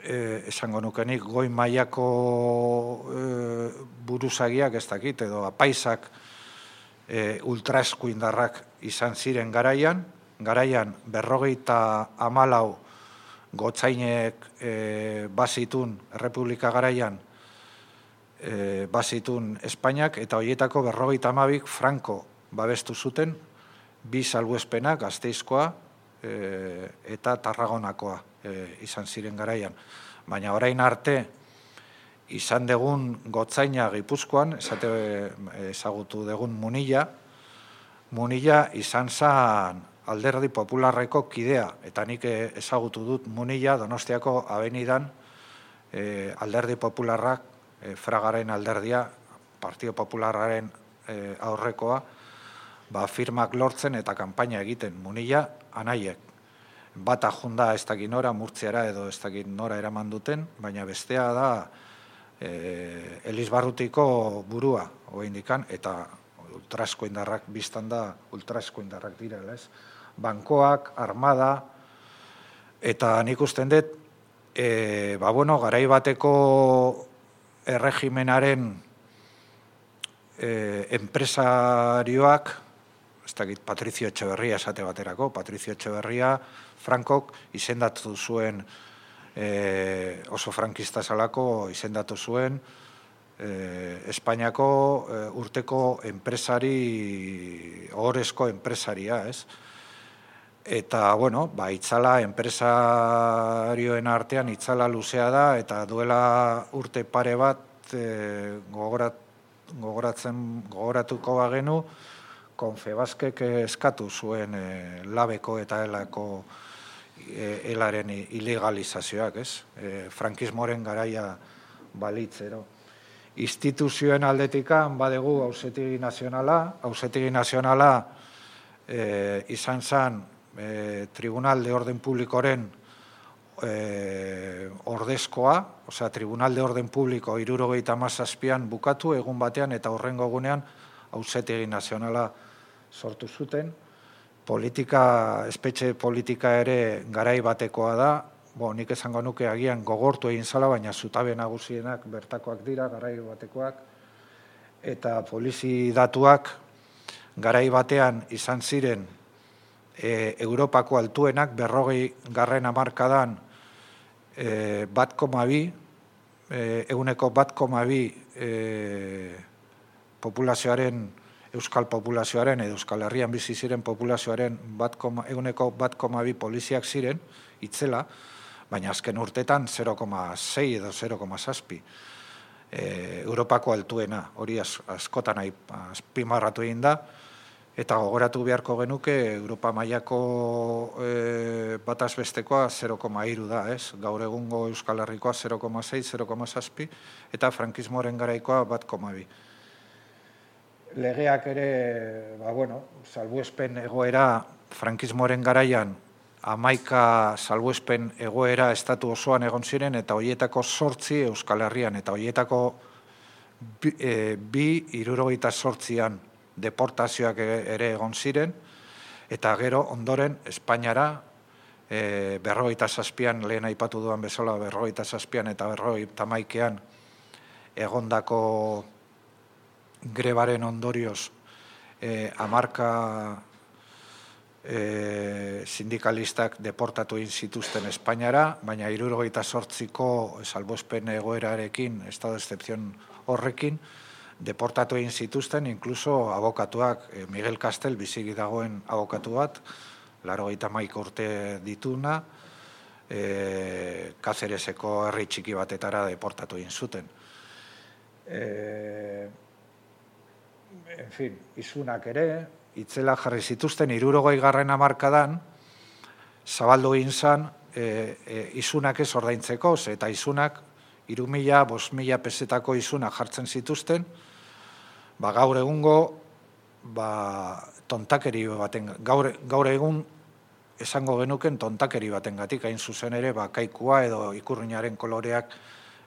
e, esango nukenik, goi mailako e, buruzagiak ez dakit, edo apaisak e, ultraeskuindarrak izan ziren garaian, garaian berrogeita hamalau gotzainek e, bazitun, Errepublika garaian, e, bazitun Espainiak, eta horietako berrogeita hamabik Franco babestu zuten, bi salbuespenak, Gasteizkoa e, eta Tarragonakoa e, izan ziren garaian. Baina orain arte, izan degun gotzaina Gipuzkoan, esate ezagutu degun Munilla, Munilla izan zan Alderdi Popularreko kidea, eta nik ezagutu dut Munilla Donostiako abenidan e, Alderdi Popularrak, e, Fragaren alderdia, Partido Popularraren e, aurrekoa, ba, firmak lortzen eta kanpaina egiten Munilla anaiek. Bata junda ez dakit nora, Murtziara edo ez dakit nora eraman duten, baina bestea da e, Elizbarrutiko burua, oraindikan, eta ultraeskuindarrak biztan da, ultraeskuindarrak direla, ez? Bankoak, armada, eta nik usten dut, e, ba, bueno, garai bateko erregimenaren e, enpresarioak, ez dakit Patricio Etxeberria esate baterako, Patricio Etxeberria, Frankok izendatu zuen, e, oso frankista zalako izendatu zuen, e, Espainiako e, urteko enpresari, ohorezko enpresaria, ez? Eta, bueno, ba, itzala enpresarioen artean itzala luzea da, eta duela urte pare bat e, gogorat, gogoratzen, gogoratuko bagenu, Confebaskek eskatu zuen e, labeko eta elako e, elaren ilegalizazioak, ez? E, frankismoren garaia balitzero. Instituzioen aldetikan badegu Auzitegi Nazionala, Auzitegi Nazionala e, izan zen e, Tribunal de Orden Publikoren e, ordezkoa, osea, Tribunal de Orden Publiko hirurogeita hamazazpian bukatu egun batean eta horrengo egunean Auzitegi Nazionala sortu zuten. Politika, espetxe politika ere garai batekoa da, bo, nik esango nuke agian gogortu egin zala, baina zutabe nagusienak bertakoak dira, garai batekoak, eta polizi datuak garai batean izan ziren e, Europako altuenak, berrogei garren hamarkadan e, bat koma bi, e, eguneko bat koma bi e, populazioaren, Euskal populazioaren, edo Euskal Herrian bizi ziren populazioaren bat, eguneko bat koma bi poliziak ziren, itzela, baina azken urtetan zero koma sei edo zero koma zazpi. E, Europako altuena, hori az, askotan azpimarratu egin da, eta gogoratu beharko genuke Europa mailako e, bataz bestekoa zero koma hiru da, ez? Gaur egungo Euskal Herrikoa zero koma sei, zero koma zazpi, eta frankismoren garaikoa bat koma bi. Legeak ere, ba, bueno, salbuespen egoera, frankismoren garaian, hamaika salbuespen egoera estatu osoan egon ziren, eta horietako zortzi Euskal Herrian, eta horietako bi, e, bi hirurogeita zortzian deportazioak ere egon ziren, eta gero ondoren Espainiara, e, berrogeita zazpian, lehen aipatu duan bezala, berrogeita zazpian eta berrogeita hamaikean egondako grebaren ondorioz eh, hamarka eh, sindikalistak deportatu egin zituzten Espainiara, baina hirurogeita zortziko salbuespen egoerarekin, estado de excepción horrekin, deportatu egin zituzten, inkluso abokatuak, eh, Miguel Castel, biziki dagoen abokatu bat, laurogeita hamaika urte dituna, eh, Kazereseko herri txiki batetara deportatu egin zuten. Eh, En fin, izunak ere, itzela jarri zituzten, hirurogei garren hamarkadan, zabaldu egin zan, e, e, izunak ez ordaintzeko, eta izunak, hiru mila, bost mila pesetako izunak jartzen zituzten, ba, gaur egungo, ba, tontakeri baten, gaur, gaur egun, esango genuken tontakeri baten gatik, hain zuzen ere, ba, kaikua edo ikurrinaren koloreak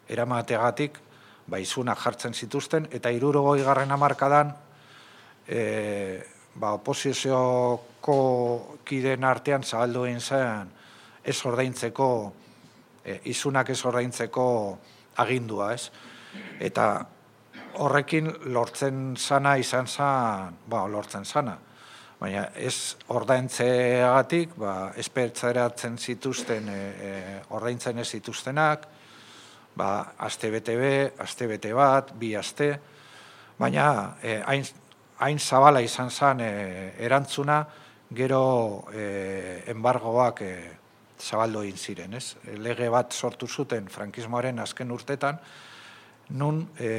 eramategatik, ba, izunak jartzen zituzten, eta hirurogei garren hamarkadan, e, ba, oposizioko kideen artean zabaldu egin zen ez ordaintzeko, e, izunak ez ordaintzeko agindua, ez? Eta horrekin lortzen zana izan zan, ba, lortzen zana. Baina ez ordaintzeagatik, ba, espertzeratzen zituzten, e, e, ordaintzen ez zituztenak, ba, aste bete be, aste bete bat, bi aste, baina e, hain, hain zabala izan zen e, erantzuna, gero e, embargoak e, zabaldu egin ziren, ez? Lege bat sortu zuten frankismoaren azken urtetan, nun, e,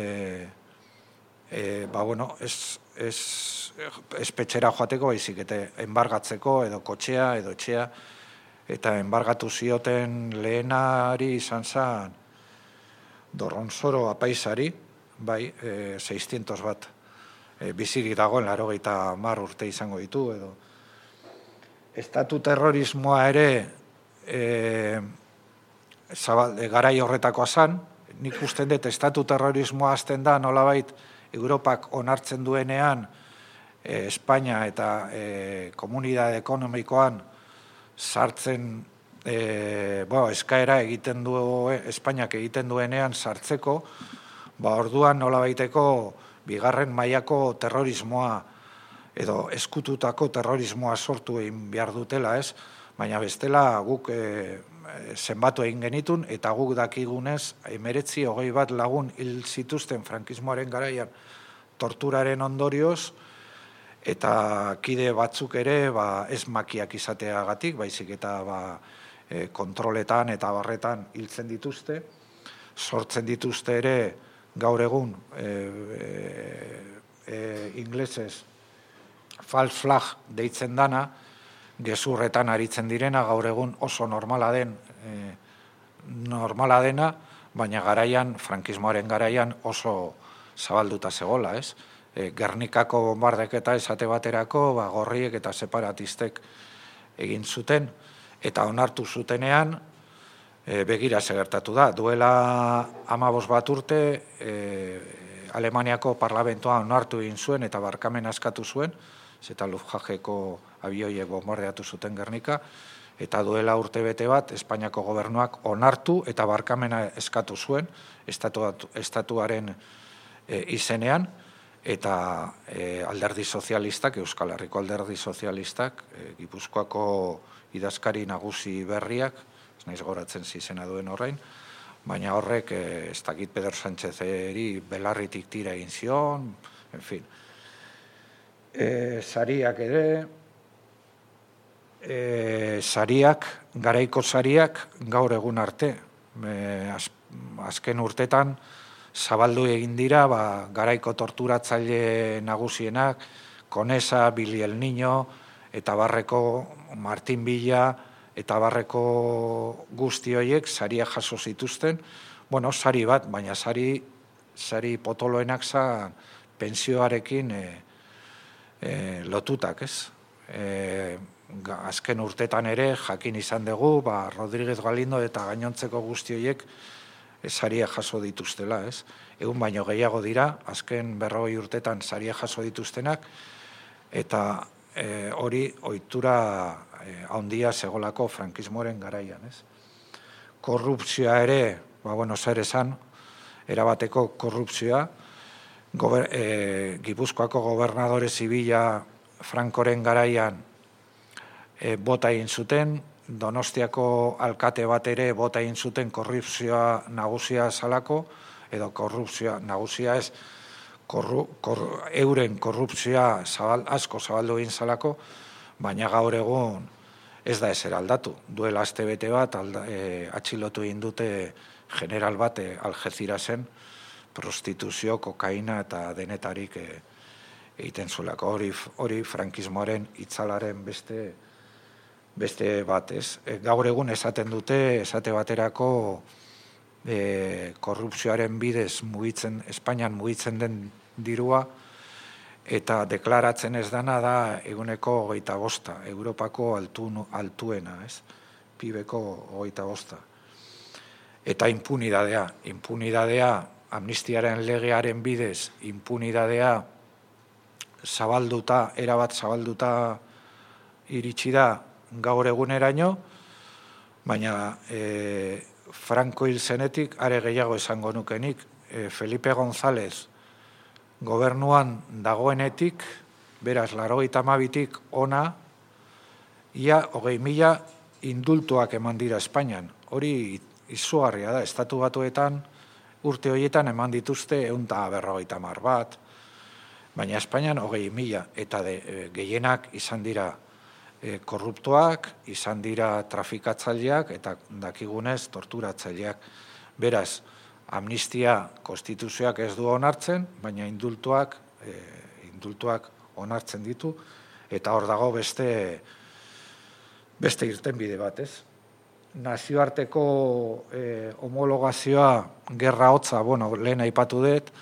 e, ba, bueno, ez, ez, ez petxera joateko, baizik, eta embargatzeko, edo kotxea, edo etxea, eta embargatu zioten lehenari izan zen Dorronzoro apaizari, bai, e, seiscientos bat, e, bizirik dagoen laurogeita hamar urte izango ditu, edo. Estatu terrorismoa ere e, zabal, e, garai horretakoa zan, nik usten dut estatu terrorismoa azten da nolabait Europak onartzen duenean e, Espainia eta e, komunidade ekonomikoan sartzen e, bo, eskaera egiten du, Espainiak egiten duenean sartzeko, ba orduan nolabaiteko bigarren mailako terrorismoa edo eskututako terrorismoa sortu egin behar dutela, ez? Baina bestela guk e, zenbatu egin genitun, eta guk dakigunez, emeretzi hogei bat lagun hil zituzten frankismoaren garaian torturaren ondorioz, eta kide batzuk ere ba, ez makiak izateagatik, baizik eta ba, e, kontroletan eta barretan hiltzen dituzte, sortzen dituzte ere gaur egun e, e, e, inglesez false flag deitzen dana, gezurretan aritzen direna, gaur egun oso normala den, e, normala dena, baina garaian, frankismoaren garaian oso zabalduta zegola, ez? E, Gernikako bombardeketa esate baterako, ba, gorriek eta separatistek egin zuten, eta onartu zutenean, e, begira segertatu da. Duela hamabost bat urte, e, Alemaniako parlamentoa onartu egin zuen eta barkamena eskatu zuen, eta Luftwaffeko abioiek bombardeatu zuten Gernika, eta duela urte bete bat, Espainiako gobernuak onartu eta barkamena eskatu zuen, estatu, estatuaren e, izenean, eta e, alderdi sozialistak, Euskal Herriko alderdi sozialistak, e, Gipuzkoako idazkari nagusi berriak, ez naiz goratzen zizena duen horrein, baina horrek, e, ez dakit Pedro Sánchezeri belarritik tira egin zion, en fin. E, sariak ere, e, sariak, garaiko sariak gaur egun arte, e, az, azken urtetan zabaldu egin dira, ba, garaiko torturatzaile nagusienak, Konesa, Billy el Niño, eta barreko Martin Villa, eta barreko guzti horiek saria jaso zituzten, bueno, sari bat, baina sari, sari potoloenak zan pensioarekin e, e, lotutak, ez? E, azken urtetan ere jakin izan dugu, ba, Rodríguez Galindo eta gainontzeko guzti horiek saria jaso dituztela, ez? Egun baino gehiago dira, azken berrogei urtetan saria jaso dituztenak, eta e, hori ohitura e, handia segolako frankismoaren garaian, ez? Korrupzioa ere, ba, bueno, zer esan, erabateko korrupzioa, gober, e, Gipuzkoako gobernadore zibila Frankoren garaian e, bota egin zuten, Donostiako alkate bat ere bota egin zuten korrupzioa nagusia zalako, edo korrupzioa nagusia ez, korru, kor, euren korrupzioa zabal, asko zabaldu egin zalako, baina gaur egun ez da ezer aldatu. Duela aste bete bat alda, e, atxilotu egin dute general bat e, Algecirasen prostituzio, kokaina eta denetarik e, egiten zuelako. Hori, hori frankismoaren itzalaren beste beste bat, ez. E, gaur egun esaten dute, esate baterako e, korrupzioaren bidez mugitzen, Espainian mugitzen den dirua, eta deklaratzen ez dana da eguneko hogeita bosta, Europako altu, altuena, ez, pibeko hogeita bosta. Eta impunidadea, impunidadea, amnistiaren legearen bidez, impunidadea zabalduta, erabat zabalduta iritsi da gaur eguneraino, baina e, Franco hil zenetik are gehiago esango nukenik, e, Felipe González gobernuan dagoenetik, beraz, laurogeita hamabitik ona, ia hogei mila indultuak eman dira Espainian. Hori izugarria da, estatu batuetan, urte horietan eman dituzte ehun eta berrogeita hamar bat, baina Espainian hogei mila, eta de, gehienak izan dira e, korruptoak, izan dira trafikatzaileak, eta dakigunez torturatzaileak. Beraz, amnistia konstituzioak ez du onartzen, baina indultuak, e, indultuak onartzen ditu, eta hor dago beste, beste irtenbide bat, ez? Nazioarteko eh, homologazioa gerra hotza, bueno, lehen aipatu dut,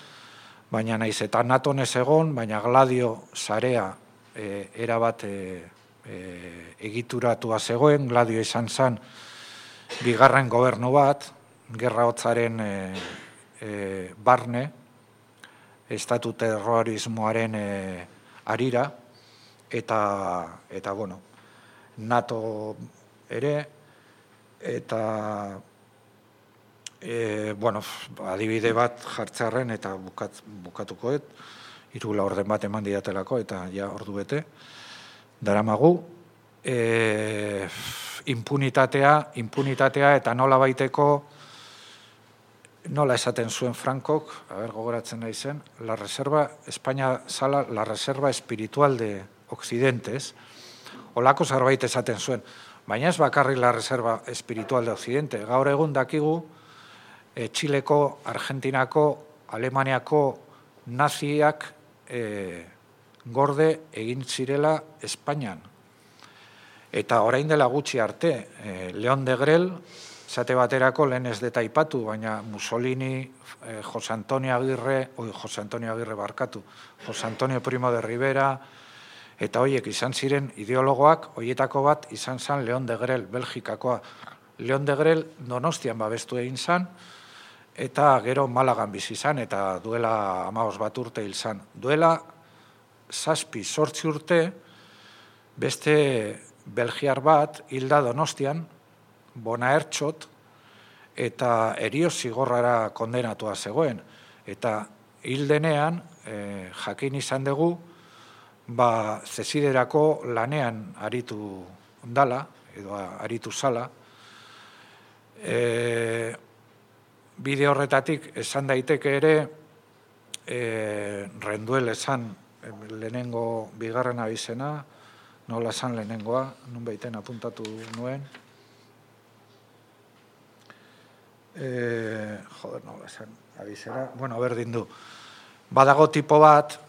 baina naiz eta naton ez egon, baina Gladio sarea eh, erabat eh, eh, egituratua zegoen, Gladio izan zen bigarren gobernu bat, gerra hotzaren eh, eh, barne, estatu terrorismoaren eh, arira, eta, eta bueno, NATO ere, eta e, bueno, adibide bat jartzearren eta bukat, bukatukoet, hiru laurden bat eman didatelako eta ja ordu bete, daramagu, e, impunitatea, impunitatea eta nola baiteko, nola esaten zuen Frankok, haber gogoratzen nahi zen, la reserva, Espainia zala, la reserva espiritual de Occidentes, olako zerbait esaten zuen, baina ez bakarrik la reserva espiritual de Occidente. Gaur egun dakigu, e, Txileko, Argentinako, Alemaniako naziak e, gorde egin zirela Espainian. Eta orain dela gutxi arte, e, Leon de Grel, zate baterako lehen ez deta aipatu, baina Mussolini, e, Jose Antonio Agirre, oi, Jose Antonio Agirre barkatu, Jose Antonio Primo de Rivera, eta horiek izan ziren ideologoak, horietako bat izan zen Leon de Grel, Belgikakoa. Leon de Grel Donostian babestu egin zen, eta gero Malagan bizi izan, eta duela hamabost bat urte hil zen. Duela zazpi zortzi urte, beste belgiar bat hilda Donostian, Bonaertxot, eta erio zigorrara kondenatua zegoen. Eta hil denean, eh, jakin izan dugu, ba, zeziderako lanean aritu dala, edo aritu zala. E, bide horretatik esan daiteke ere, e, renduel esan lehenengo bigarren abizena, nola esan lehenengoa, nun baiten apuntatu nuen. E, joder, nola esan abizena, bueno, berdin du. Badago tipo bat,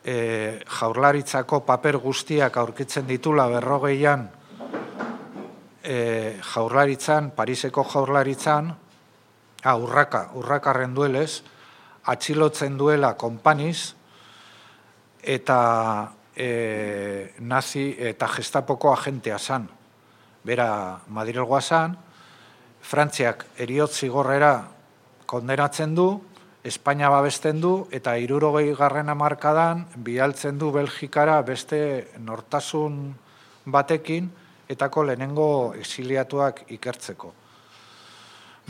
E, jaurlaritzako paper guztiak aurkitzen ditula berrogeian e, jaurlaritzan, Pariseko jaurlaritzan, ah, urraka, urraka renduelez, atxilotzen duela konpaniz, eta e, nazi eta gestapoko agentea zan. Bera Madrilgoa zan, Frantziak heriotz zigorrera kondenatzen du, Espainia babesten du, eta hirurogei garren hamarkadan bialtzen du Belgikara beste nortasun batekin, etako lehenengo exiliatuak ikertzeko.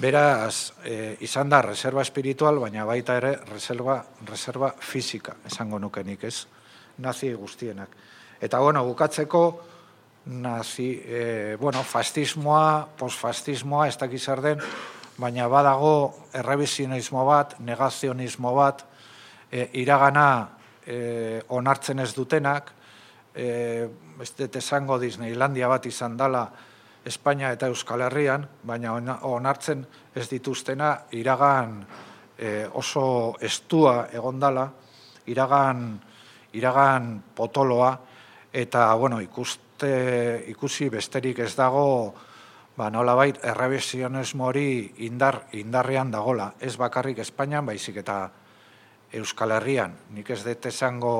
Beraz, e, izan da reserva espiritual, baina baita ere reserva, reserva fisika, esango nukenik ez, nazi guztienak. Eta, bueno, bukatzeko, nazi, e, bueno, fascismoa, postfascismoa, ez dakiz zer den, baina badago errebizionismo bat, negazionismo bat, e, iragana e, onartzen ez dutenak, e, ez dut esango Disneylandia bat izan dela Espainia eta Euskal Herrian, baina onartzen ez dituztena iragan e, oso estua egon dela, iragan, iragan potoloa, eta bueno, ikuste, ikusi besterik ez dago, ba, nolabait, errebizionismo hori indar, indarrean dagola. Ez bakarrik Espainian, baizik eta Euskal Herrian. Nik ez dut esango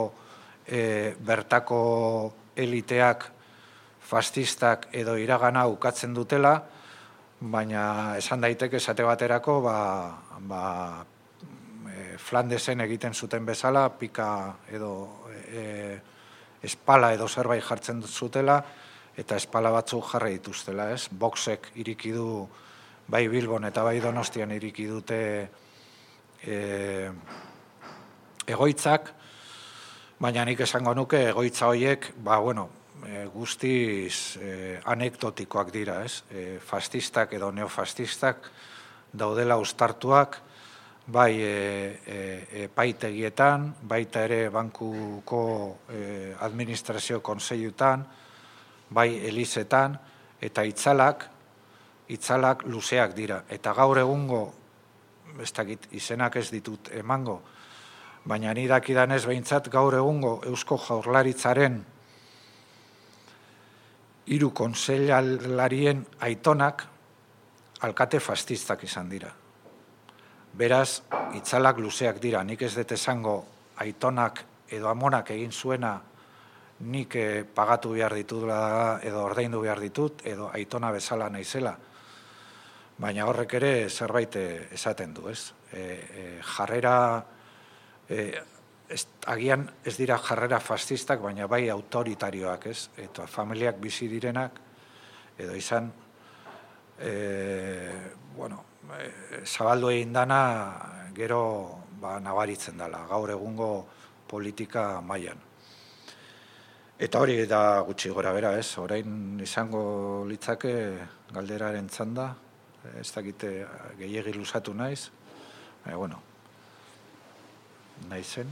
e, bertako eliteak, fascistak edo iragana ukatzen dutela, baina esan daiteke esate baterako, ba, ba, e, Flandesen egiten zuten bezala, pika edo e, espala edo zerbait jartzen zutela, eta espala batzuk jarri dituztela, ez? Boxek iriki du, bai Bilbon eta bai Donostian iriki dute e, egoitzak, baina nik esango nuke egoitza horiek, ba, bueno, e, guztiz e, anekdotikoak dira, ez? E, fascistak edo neofascistak daudela uztartuak, bai e, e, epaitegietan, baita ere bankuko e, administrazio konseilutan, bai elizetan, eta itzalak, itzalak luzeak dira. Eta gaur egungo, ez dakit, izenak ez ditut emango, baina ni dakidanez behintzat gaur egungo Eusko Jaurlaritzaren hiru kontseilarien aitonak alkate fascistak izan dira. Beraz, itzalak luzeak dira. Nik ez dut esango aitonak edo amonak egin zuena nik pagatu behar ditudela edo ordaindu behar ditut edo aitona bezala naizela. Baina horrek ere zerbait esaten du, ez? E, e, jarrera, e, ez, agian ez dira jarrera fascistak, baina bai autoritarioak, ez? Eta familiak bizi direnak, edo izan, e, bueno, e, zabaldu egin dana gero ba, nabaritzen dela, gaur egungo politika mailan. Eta hori da gutxi gora bera, ez? Orain izango litzake galderaren txanda, ez dakite gehiegi luzatu naiz, e, bueno, naizen.